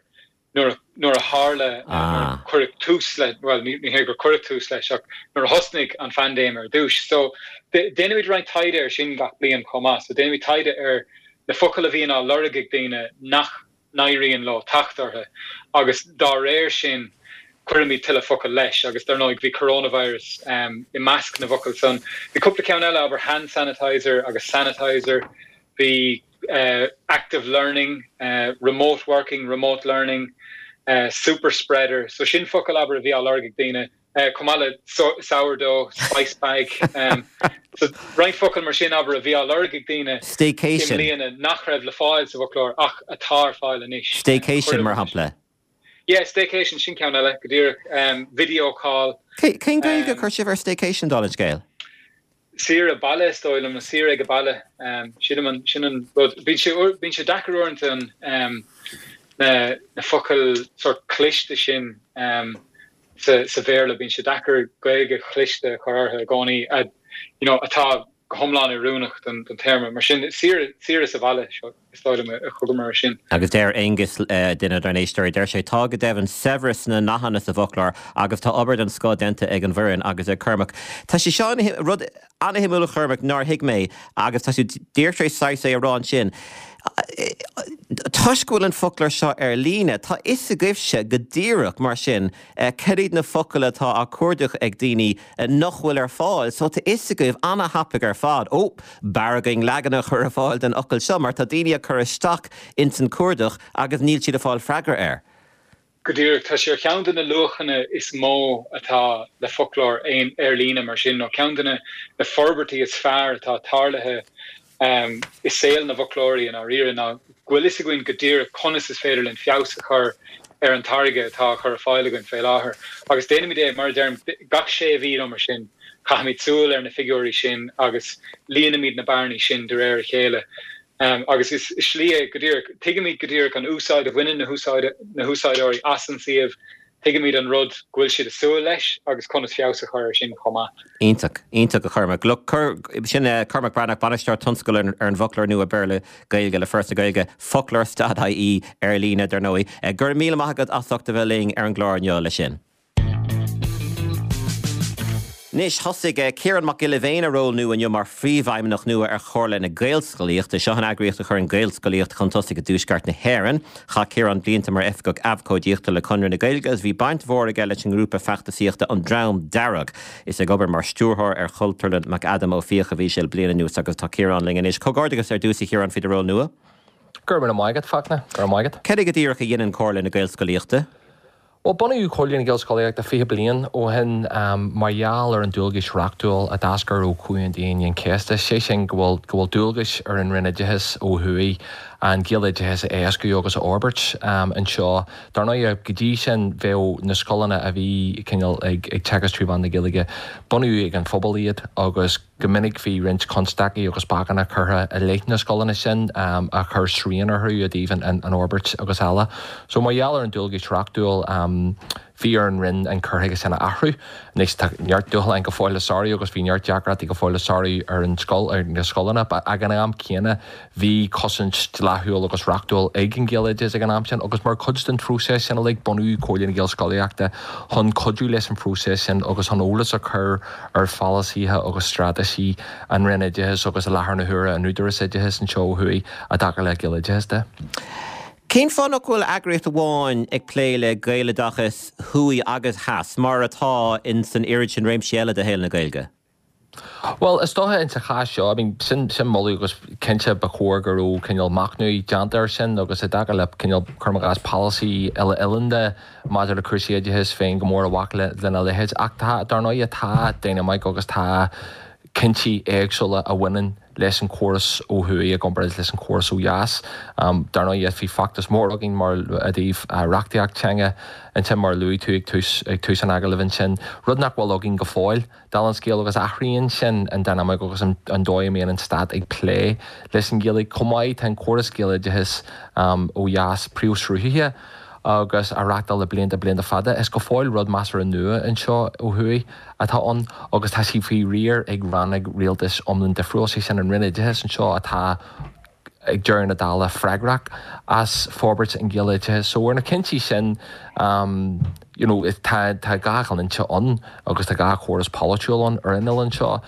nuair a, nuair a tharla, nuair a cuireadh tús le, bhuel, ní, ní hé gur cuireadh tús leis ach nuair a thosnaigh an phaindéim ar dtús. So, déanaimid roinnt taighde ar sin gach bliain chomh maith. So, déanaimid taighde ar na focail a bhíonn á lorg ag daoine nach n-éiríonn leo teacht orthu agus dá réir sin cuirimid tuilleadh focal leis agus dar ndóigh bhí coronavirus i measc na bhfocal san. Bhí cúpla ceann eile, abair hand sanitizer agus sanitizer, bhí active learning, remote working, remote learning, super spreader, so sin focail abair a bhí á lorg ag daoine. chomh maith le sourdough, spice bag, so roinnt focal mar sin, abair, a bhí á lorg ag daoine i mbliana nach raibh le fáil sa bhfoclóir ach atá ar fáil anois. Staycation, mar shampla. Yeah, staycation, sin ceann eile, go díreach. Video call. Cén Ghaeilge a chuir sibh ar staycation, dála an scéil? Saoire baile, is dóigh liom, nó saoire ag baile. Sílim an, sin an rud. Bíonn sé, bíonn sé deacair uaireanta an, na, na focail sórt cliste sin sa, sa Bhéarla, bíonn sé deacair Gaeilge chliste a chur orthu i gcónaí, a, you know, atá go hiomlán oiriúnach don, don téarma. Mar sin, saoire, saoire sa bhaile, seo. Is dóigh liom a thugamar air sin. Agus deir Aengus, duine dár n-éisteoirí, deir sé, Tá go deimhin saibhreas sna nathanna sa bhfoclóir agus tá obair den scoth déanta ag an bhfoireann agus ag Cormac. Tá sé seo ina rud an-shuimiúil a Chormaic nár thuig mé agus tá tú díreach tar éis saghas é a rá ansin. Toisc go bhfuil an foclóir seo ar líne, tá fhios agaibhse go díreach mar sin cad iad na focail atá á cuardach ag daoine nach bhfuil ar fáil. So tá fhios agaibh ana-thapaidh ar fad, ó, b'fhearr againn leagan a chur ar fáil den fhocal seo mar tá daoine ag cur isteach ins an cuardach agus níl siad ag fáil freagra air. Go díreach, tá sé ar cheann de na luachanna is mó atá le foclóir ar líne mar sin, nó ceann de na forbairtí is fearr atá tarlaithe i saol na bhfoclóirí i ndáiríre, ná go bhfuil fhios againn go díreach conas is féidir linn feabhas a chur ar an táirge atá á chur ar fáil againn fé láthair. Agus déanaimid é, mar a deirim, gach sé mhí nó mar sin, caithimid súil ar na figiúirí sin agus líonaimid na bearnaí sin de réir a chéile. Agus is slí é go díreach, tuigimid go díreach an úsáid a bhaineann na húsáideoirí as an suíomh, tuigimid an rud go bhfuil siad ag súil leis agus conas feabhas a chur air sin chomh maith. Iontach, iontach a Chormaic. Look, sin Cormac Breathnach, Bainisteoir Tionscail ar an bhfoclóir nua Béarla-Gaeilge le Foras na Gaeilge, foclóir stad IE ar líne, dar ndóigh. Go raibh míle maith agat as ucht a bheith linn ar an gclár inniu leis sin. Anois, thosaigh Ciarán Mac Giolla Bhéin a ról nua inniu mar Phríomhfheidhmeannach nua ar Chomhairle na Gaelscolaíochta. Seo an eagraíocht a chuireann Gaelscolaíocht chun tosaigh i dTuaisceart na hÉireann. Chaith Ciarán blianta mar Oifigeach Abhcóidíochta le Conradh na Gaeilge agus bhí baint mhór aige leis an ngrúpa feachtasaíochta An Dream Dearg. Is ag obair mar Stiúrthóir ar Chultúrlann McAdam Ó Fiaich a bhí sé le bliain anuas agus tá Ciarán linn anois. Comhghairdeachas ar dtús a Chiaráin faoi do ról nua. Go raibh míle maith agat, Fachtna. Go raibh maith agat. Cad é go díreach a dhéanann Comhairle na Gaelscolaíochta? Bhuel, bunaíodh Comhairle na Gaelscolaíochta 20 bliain ó shin mar gheall ar an dualgais reachtúil a d'eascair ó Chomhaontú Aoine an Chéasta, sé sin go bhfuil go bhfuil dualgais ar an Roinn Oideachais ó thuaidh an Gaeloideachas a éascú agus a fhorbairt anseo. Dar ndóigh, go dtí sin bheadh na scoileanna a bhí cineál ag teagasc trí mheán na Gaeilge, bunaíodh ag an phobal iad agus, Go minic bhí roinnt constaicí agus bacanna curtha i leith na scoileanna sin a chuir srian orthu i dtaobh an fhorbairt agus eile. So mar gheall ar an dualgais reachtúil bhí ar an Roinn an cur chuige sin a athrú. Anois tá neart dúshláin go fóill le sárú agus bhí neart deacrachtaí go fóill le sárú ar an scoil, ar na scoileanna but ag an am céanna Bhí cosaint dleathúil agus reachtúil ag an Ghaeloideachas ag an am sin agus mar chuid den phróiseas sin uilig bunaíodh Comhairle na Gaelscolaíochta chun cuidiú leis an phróiseas sin agus chun eolas a chur ar pholasaithe agus straitéisí an Roinn Oideachais agus i láthair na huaire an Údarás Oideachais anseo ó thuaidh i dtaca le Gaeloideachas de. Cén fáth nach bhfuil eagraíocht amháin ag plé le Gaeloideachas thuaidh agus theas mar atá in san oiread sin réimsí eile de shaol na Gaeilge? Bhuel, is dócha in sa chás seo, I mean, sin, sin moladh agus cinnte ba chóir go raibh cineál machnamh déanta air sin agus i dtaca le cineál, cuirim i gcás, polasaí uile-oileánda maidir le cúrsaí oideachais, bheinn go mór i bhfách le, lena leithéid. Ach tá, dar ndóighe, tá dynamic agus tá cinntí éagsúla a bhaineann leis an chóras ó thuaidh i gcomparáid leis an chóras ó dheas. Dar ndóighe, bhí feachtas mór againn mar i dtaobh reachtaíocht teanga ansin mar a luaigh tú ag tús, ag tús an agallaimh ansin, rud nach bhfuil againn go fóill. Dála an scéil, agus athraíonn sin an dynamic agus an dóigh a mbíonn an stát ag plé leis an Ghaeilge. Chomh maith, tá an córas Gaeloideachais ó dheas príomhshruthaithe agus á reachtáil le blianta, blianta fada. Is go fóill rud measartha nua anseo ó thuaidh atá ann agus tá sé faoi riar ag rannóg rialtais iomlán difriúil, sé sin an Roinn Oideachais anseo atá ag deireadh na dála freagrach as forbairt an Ghaeloideachais. So ar na cinntí sin you know tá tá dhá dhlínse ann agus tá dhá chóras polaitiúil ann ar an oileán seo.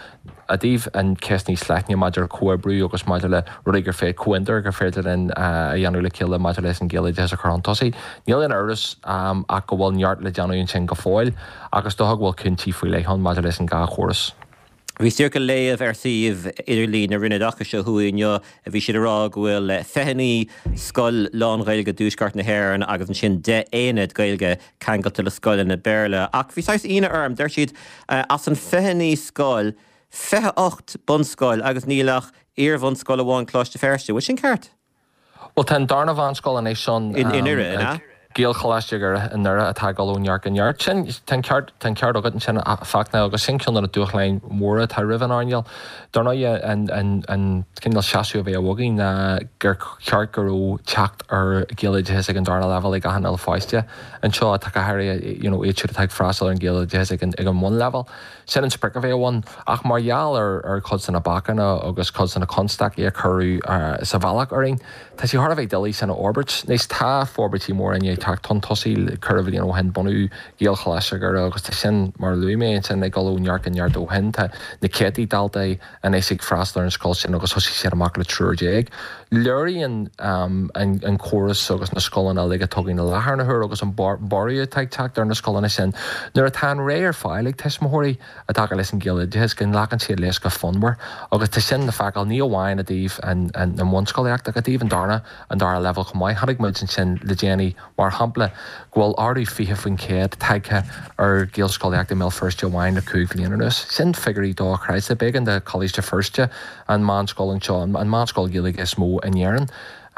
I dtaobh an cheist níos leithne maidir le comhoibriú agus maidir le rudaí gur féidir, comhfhiontair gur féidir linn a dhéanamh le chéile maidir leis an Ghaeloideachas a chur chun tosaigh, níl aon amhras ach go bhfuil neart le déanamh ansin go fóill ach is dócha go bhfuil cúinsí faoi leith ann maidir leis an dhá chóras. Bhí díreach ag léamh ar suíomh idirlín na Roinne Oideachais ó thuaidh inniu, bhí siad ag rá go bhfuil 29 scoil lán-Ghaeilge i dtuaisceart na hÉireann agus ansin 10 aonad Gaeilge ceangailte le scoileanna Béarla. Ach bhí saghas ionadh orm, deir siad as an 29 scoil, 28 bunscoil agus níl ach iar-bhunscoil amháin, Coláiste Feirste. Bhfuil sin ceart? Bhuel, tá an darna mheánscoil anois ann. I nDoire, an ea? Gaelcholáiste Dhoire i nDoire atá ag dul ó neart go neart. Sin, tá an ceart, tá an ceart agat ansin, a Fachtna, agus sin ceann de na dúshláin mhóra atá roimh an earnáil. Dar ndóigh, an, an, an cineál seasamh a bheadh againn ná gur cheart go raibh teacht ar Ghaeloideachas ag an darna leibhéal ag achan uile pháiste anseo, atá go háirithe, you know, iad siúd atá ag freastal ar an Ghaeloideachas ag an, ag an mbunleibhéal. Sin an sprioc a bheadh ann, ach mar gheall ar chuid de na bacanna agus cuid de na constaicí a cuireadh sa bhealach orainn, tá sé thar a bheith doiligh sin a fhorbairt. Anois tá forbairtí móra i ndiaidh teacht chun tosaigh, ceithre bhliain ó shin bunaíodh Gaelcholáiste Dhoire agus tá sin, mar a luaigh mé ansin, ag dul ó neart go neart ó shin. Tá na céadtaí daltaí anois ag freastal ar an scoil sin agus thosaigh siad amach le triúr déag. Léiríonn an córas agus na scoileanna uilig atá againn i láthair na huaire agus an borradh atá ag teacht ar na scoileanna sin nuair atá an rogha ar fáil ag tuismitheoirí i dtaca leis an Ghaeloideachas go nglacann siad leis go fonnmhar agus tá sin le feiceáil ní amháin i dtaobh an bhunscolaíocht ach i dtaobh an darna an dara leibhéal chomh maith. Chonaic muid ansin le déanaí mar. mar shampla, go bhfuil ardú 20% tagtha ar Ghaelscolaíocht i mBéal Feirste amháin le 5 bhliain anuas. Sin figiúirí dochreidte. B'éigean do Choláiste Feirste, an meánscoil anseo, an meánscoil Ghaeilge is mó in Éirinn,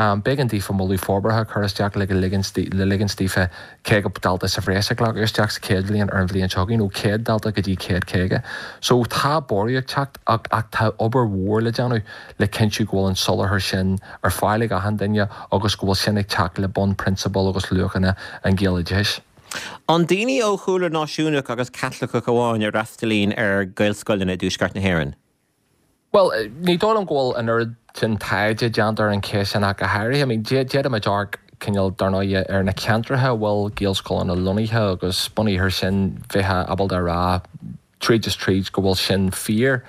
B'éigean daofa moladh forbartha a chur isteach le le ligint daofa 50 dalta sa bhreis a ghlacadh isteach sa chéad bhliain ar an bhliain seo chugainn, ó 100 dalta go dtí 150. So tá borradh ag teacht ach ach tá obair mhór le déanamh le cinntiú go bhfuil an soláthar sin ar fáil ag achan duine agus go bhfuil sin ag teacht le bunphrionsabail agus luachanna an Ghaeloideachais. An daoine ó chúlra náisiúnach agus Caitliceach amháin a fhreastalaíonn ar Ghaelscoileanna i dTuaisceart na hÉireann? Bhuel, ní dóigh liom go bhfuil an oiread sin taighde déanta ar an cheist sin ach go háirithe. I mean, d'fhéadfadh muid amharc, cineál, dar ndóighe, ar na ceantracha a bhfuil Gaelscoileanna lonnaithe agus bunaithe ar sin bheifeá ábalta a rá tríd is tríd go bhfuil sin fíor.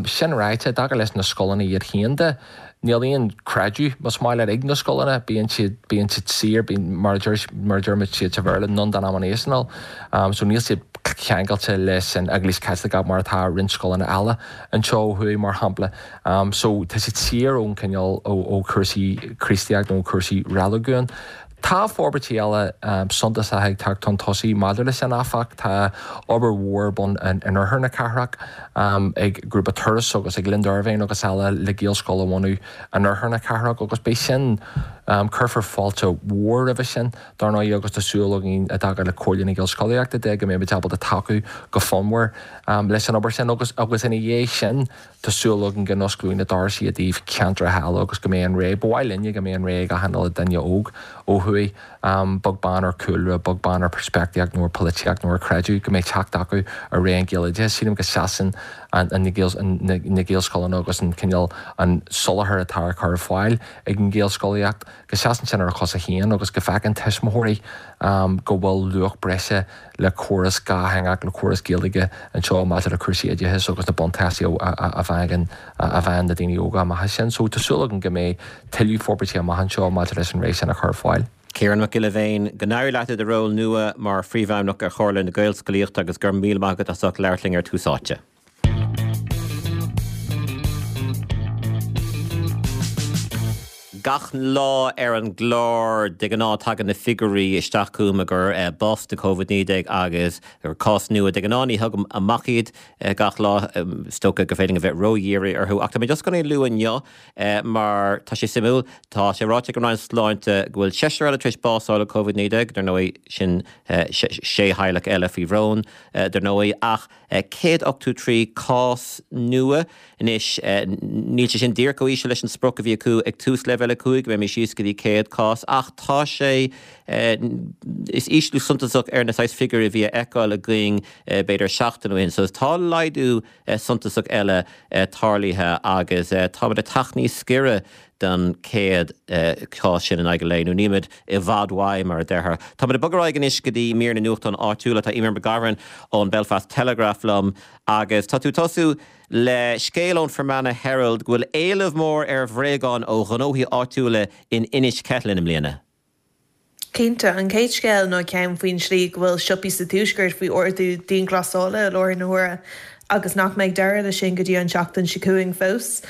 Sin ráite, i dtaca leis na scoileanna iad féin de, níl aon chreideamh, más maith leat, ag na scoileanna, bíonn siad, bíonn siad saor, bíonn, mar a deir, mar a deir muid siad sa Bhéarla, non-denominational, so níl siad ceangailte leis an Eaglais Chaitliceach mar atá roinnt scoileanna eile anseo ó thuaidh, mar shampla. So tá siad saor ón cineál, ó chúrsaí Críostaíocht nó ó chúrsaí reiligiúin. Tá forbairtí eile suntasacha ag teacht chun tosaigh maidir leis sin, áfach. Tá obair mhór ar bun in oirthear na cathrach ag grúpa Turas agus ag Linda Ervine agus eile le Gaelscoil a bhunú in oirthear na cathrach agus beidh sin, cuirfear fáilte mhór roimhe sin, dar ndóigh, agus tá súil againn i dtaca le Comhairle na Gaelscolaíochta de go mbeimid ábalta tacú go fonnmhar leis an obair sin agus agus ina dhiaidh sin Tá súil againn go n-osclóidh na doirse i dtaobh ceantracha eile agus go mbeidh an rogha, ba mhaith linne go mbeidh an rogha ag achan uile duine óg ó thuaidh, beag beann ar chúlra, beag beann ar peirspictíocht nó ar polaitíocht nó ar chreideamh, go mbeidh teacht acu ar rogha an Ghaeloideachais. Sílim go seasann na Gaelscoileanna agus an cineál, an soláthar atá á chur ar fáil ag an Ghaelscolaíocht, go seasann sin ar a chosa féin agus go bhfeiceann tuismitheoirí go bhfuil luach breise le córas dhátheangach, le córas Gaeilge anseo maidir le cúrsaí oideachais agus na buntáistí a bhfaigheann a bhfaigheann na daoine óga amach as sin. So tá súil agam go mbeidh tuilleadh forbairtí amach anseo maidir leis an rogha sin a chur ar fáil. Ciarán Mac Giolla Bhéin, go n-éirí leat i do ról nua mar Phríomhfheidhmeannach ar Chomhairle na Gaelscolaíochta agus go raibh míle maith agat as ucht labhairt linn ar Tús Áite. Gach lá ar an gclár, de ghnáth tagann na figiúirí isteach chugam i gcomhair bás de Covid-19 agus cás nua. De ghnáth ní thugaim amach iad gach lá, is dócha gur féidir linn a bheith ródhírithe orthu. Ach tá mé just chun é a lua inniu mar tá sé suimiúil. Tá sé ráite ag an Roinn Sláinte go bhfuil seisear eile tar éis bás a fháil ó Covid-19, dar ndóigh sin sé theaghlach eile faoi bhrón dar ndóigh, ach 183 cás nua anois. Níl sé sin díreach chomh íseal leis an sprioc a bhí acu ag tús Leibhéal 5, go mbeimis síos go dtí 100 cás, ach tá sé, is ísliú suntasach ar na saghas figiúirí a bhí a fheiceáil againn b'fhéidir seachtain ó shin. So tá laghdú suntasach eile tarlaithe agus táimid ag teacht níos giorra don 100 cás sin in aghaidh an lae, nó nílimid i bhfad uaidh, mar a déarfá. Táimid ag bogadh ar aghaidh anois go dtí mír na nuachtán áitiúla. Tá Eimear McGovern ón Belfast Telegraph liom agus tá tú ag tosú le scéal ón Fermanagh Herald go bhfuil éileamh mór ar bhréagáin ó ghnóthaí áitiúla in Inis Ceithleann i mbliana. Cinnte. An chéad scéal ná ceann faoin tslí go bhfuil siopaí sa Tuaisceart faoi ordú dianghlasála i láthair na huaire agus nach mbeidh deireadh leis sin go dtí an tseachtain seo chugainn fós.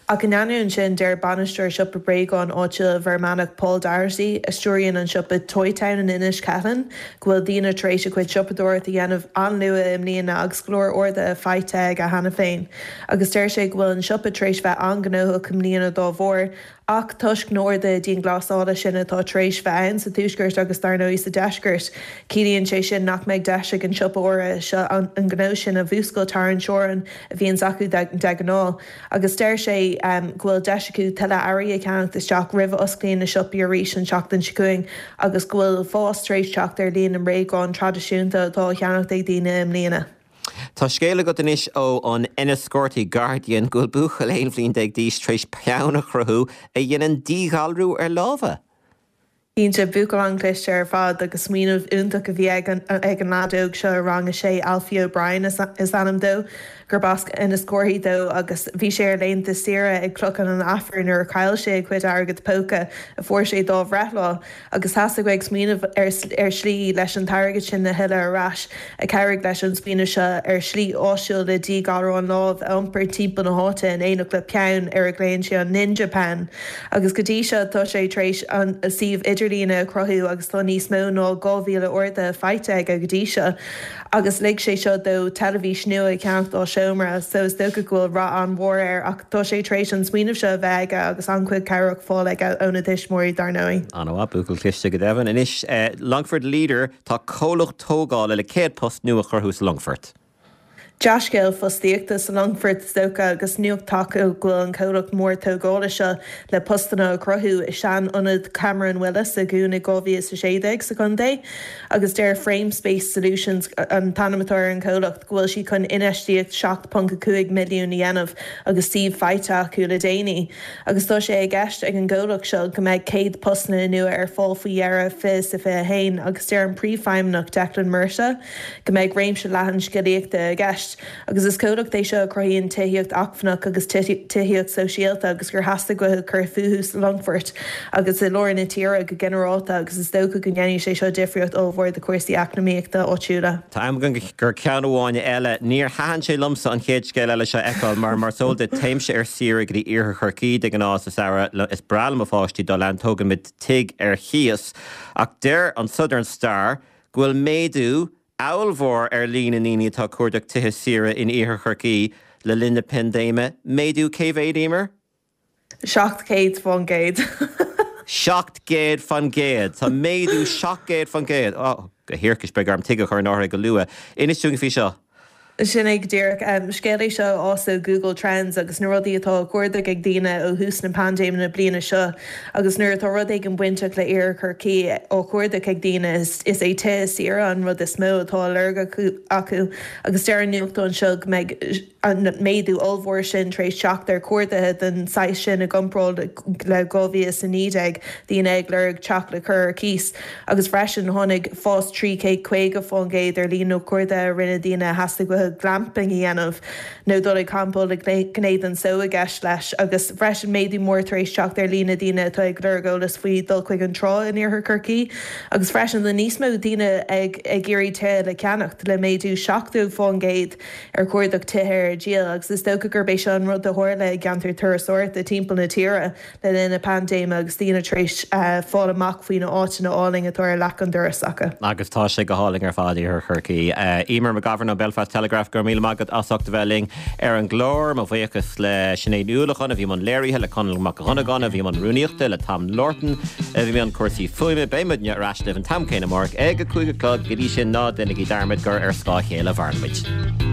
Ach in ainneoin sin, deir bainisteoir siopa bréagán áitiúil i bhFear Manach, Paul Doherty, a stiúraíonn an siopa Toytown in Inis Ceithleann, go bhfuil daoine tar éis a gcuid siopadóireacht a dhéanamh an-luath i mbliana agus go leor orduithe faighte aige cheana féin. Agus deir sé go bhfuil an siopa tar éis bheith an-ghnóthach i mbliana dá bharr. Ach toisc na n-orduithe dianghlasála sin atá tar éis bheith ann sa Tuaisceart agus dar ndóigh sa Deisceart, ciallaíonn sé sin nach mbeidh deis ag an siopa áirithe seo an gnó sin a mhúscailt thar an teorainn a bhíonns acu de ghnáth. Agus deir sé go bhfuil deis acu tuilleadh earraí a cheannacht isteach roimh a osclaíonn na siopaí arís an tseachtain seo chugainn agus go bhfuil fás tar éis teacht ar líon na mbréagán traidisiúnta atá á cheannacht ag daoine i mbliana. Tá scéal agat anois ó an Enniscorthy Guardian go bhfuil buachaill 11 bhliain d'aois tar éis peann a chruthú a dhéanann díghalrú ar lámha. Cinnte, buachaill an-chliste ar fad agus smaoineamh iontach a bhí ag an leaid óg seo i rang a sé, Alfie O'Brien is ainm dó, gurb as Inis Córthaidh dó agus bhí sé ar laethanta saoire ag Clochán an Aifir nuair a chaill sé a chuid airgead póca a fuair sé dá bhreithlá. Agus theastaigh uaidh smaoineamh ar shlí leis an t-airgead sin a thuilleadh ar ais, a chabhraigh leis an smaoineamh seo ar shlí áisiúil le díghalrán lámh a iompar timpeall na háite in éineacht le peann ar a ghlaonn sé an Ninja Pen. Agus go dtí seo tá sé tar éis an suíomh idirlín. idirlíne a chruthú agus tá níos mó ná 2,000 orduithe faighte aige go dtí seo agus lig sé seo dó teilifís nua a cheannacht dá seomra so is dócha go bhfuil rath an-mhór air ach tá sé tar éis an smaoineamh seo a bheith aige agus an-chuid cabhrach fáil aige óna thuismitheoirí dar ndóigh. An-mhaith, buachaill cliste go deimhin. Anois, Longford Leader, tá comhlacht tógála le 100 post nua a chruthú sa Longfort. Dea-scéal fostaíochta sa Longfort is dócha agus nuacht tagtha go bhfuil an comhlacht mór tógála seo le postanna a chruthú i sean-ionad Cameron Willis a dhún i 2016 sa chontae agus deir Framespace Solutions, an t-ainm atá ar an chomhlacht, go bhfuil siad chun infheistíocht 7.5 milliún a dhéanamh agus suíomh faighte acu le déanaí agus tá sé i gceist ag an gcomhlacht seo go mbeidh 100 postanna nua ar fáil faoi dheireadh 2021 agus deir an príomhfheidhmeannach Declan Murtagh go mbeidh réimse leathan scilíochta i gceist, agus is comhlacht é seo a chruthaíonn tithíocht acmhainneach agus tithíocht sóisialta agus gur theastaigh uathu cur fúthu sa Longfort agus i lár na tíre go ginearálta agus is dócha go ndéanfaidh sé seo difríocht ollmhór do chúrsaí eacnamaíochta áitiúla. Tá am againn do cheann amháin eile. Níor thaitin sé liomsa an chéad scéal eile seo a fheiceáil mar mar is eol duit téimse ar saoire go dtí Iarthar Chorcaí de ghnáth sa samhradh. Is breá le mo pháistí dul ann, tógaimid tigh ar chíos. Ach deir an Southern Star go bhfuil méadú ollmhór ar líon na ndaoine atá ag cuardach tithe saoire in Iarthar Chorcaí le linn na paindéime. Méadú cé mhéad, Emer? 700%. 700%! Tá méadú 700%! Ó, a thiarcais, beidh orm tigh a chur in áirithe go luath. Inis dúinn faoi seo. Sin é go díreach. Scéal é seo a fhás ó Google Trends agus na rudaí atá á gcuardach ag daoine ó thús na paindéime na bliana seo. Agus nuair atá rud éigin bainteach le Iarthar Chorcaí á chuardach ag daoine, is é tithe saoire an rud is mó atá á lorg acu. Agus deir an nuachtán seo go mbeidh an méadú ollmhór sin tar éis teacht ar chuarduithe den saghas sin i gcomparáid le 2019, daoine ag lorg teach le cur ar cíos. Agus freisin, tháinig fás 350% ar líon na gcuarduithe a rinne daoine a theastaigh uathu glamping a dhéanamh nó dul ag campáil le gné den só i gceist leis. Agus freisin, méadú mór tar éis teacht ar líon na ndaoine atá ag lorg eolas faoi dhul chuig an trá in iarthar Chorcaí. Agus freisin, tá níos mó daoine ag iarraidh tithe le ceannacht, le méadú 70% ar chuardach tithe ar díol. Agus is dócha gurb é seo an rud a tharla i gceantair turasóireachta timpeall na tíre. le linn na paindéime agus daoine tar éis fáil amach faoi na áiteanna álainn atá ar leac an dorais acu. Agus tá sé go hálainn ar fad, Iarthar Chorcaí. Emer McGovern ón Belfast Telegraph, go raibh míle maith agat as ucht a bheith linn ar an gclár. Mo bhuíochas le Sinéad Ní Uallacháin a bhí i mbun léirithe, le Conall Mac Dhonnagáin a bhí i mbun rúnaíochta, le Tom Lorton a bhí i mbun cúrsaí fuaime. Beidh muidne ar ais libh an t-am céanna amárach ag a 5 a chlog. Go dtí sin, ná déanaigí dearmad gur ar scáth a chéile a mhaireann muid.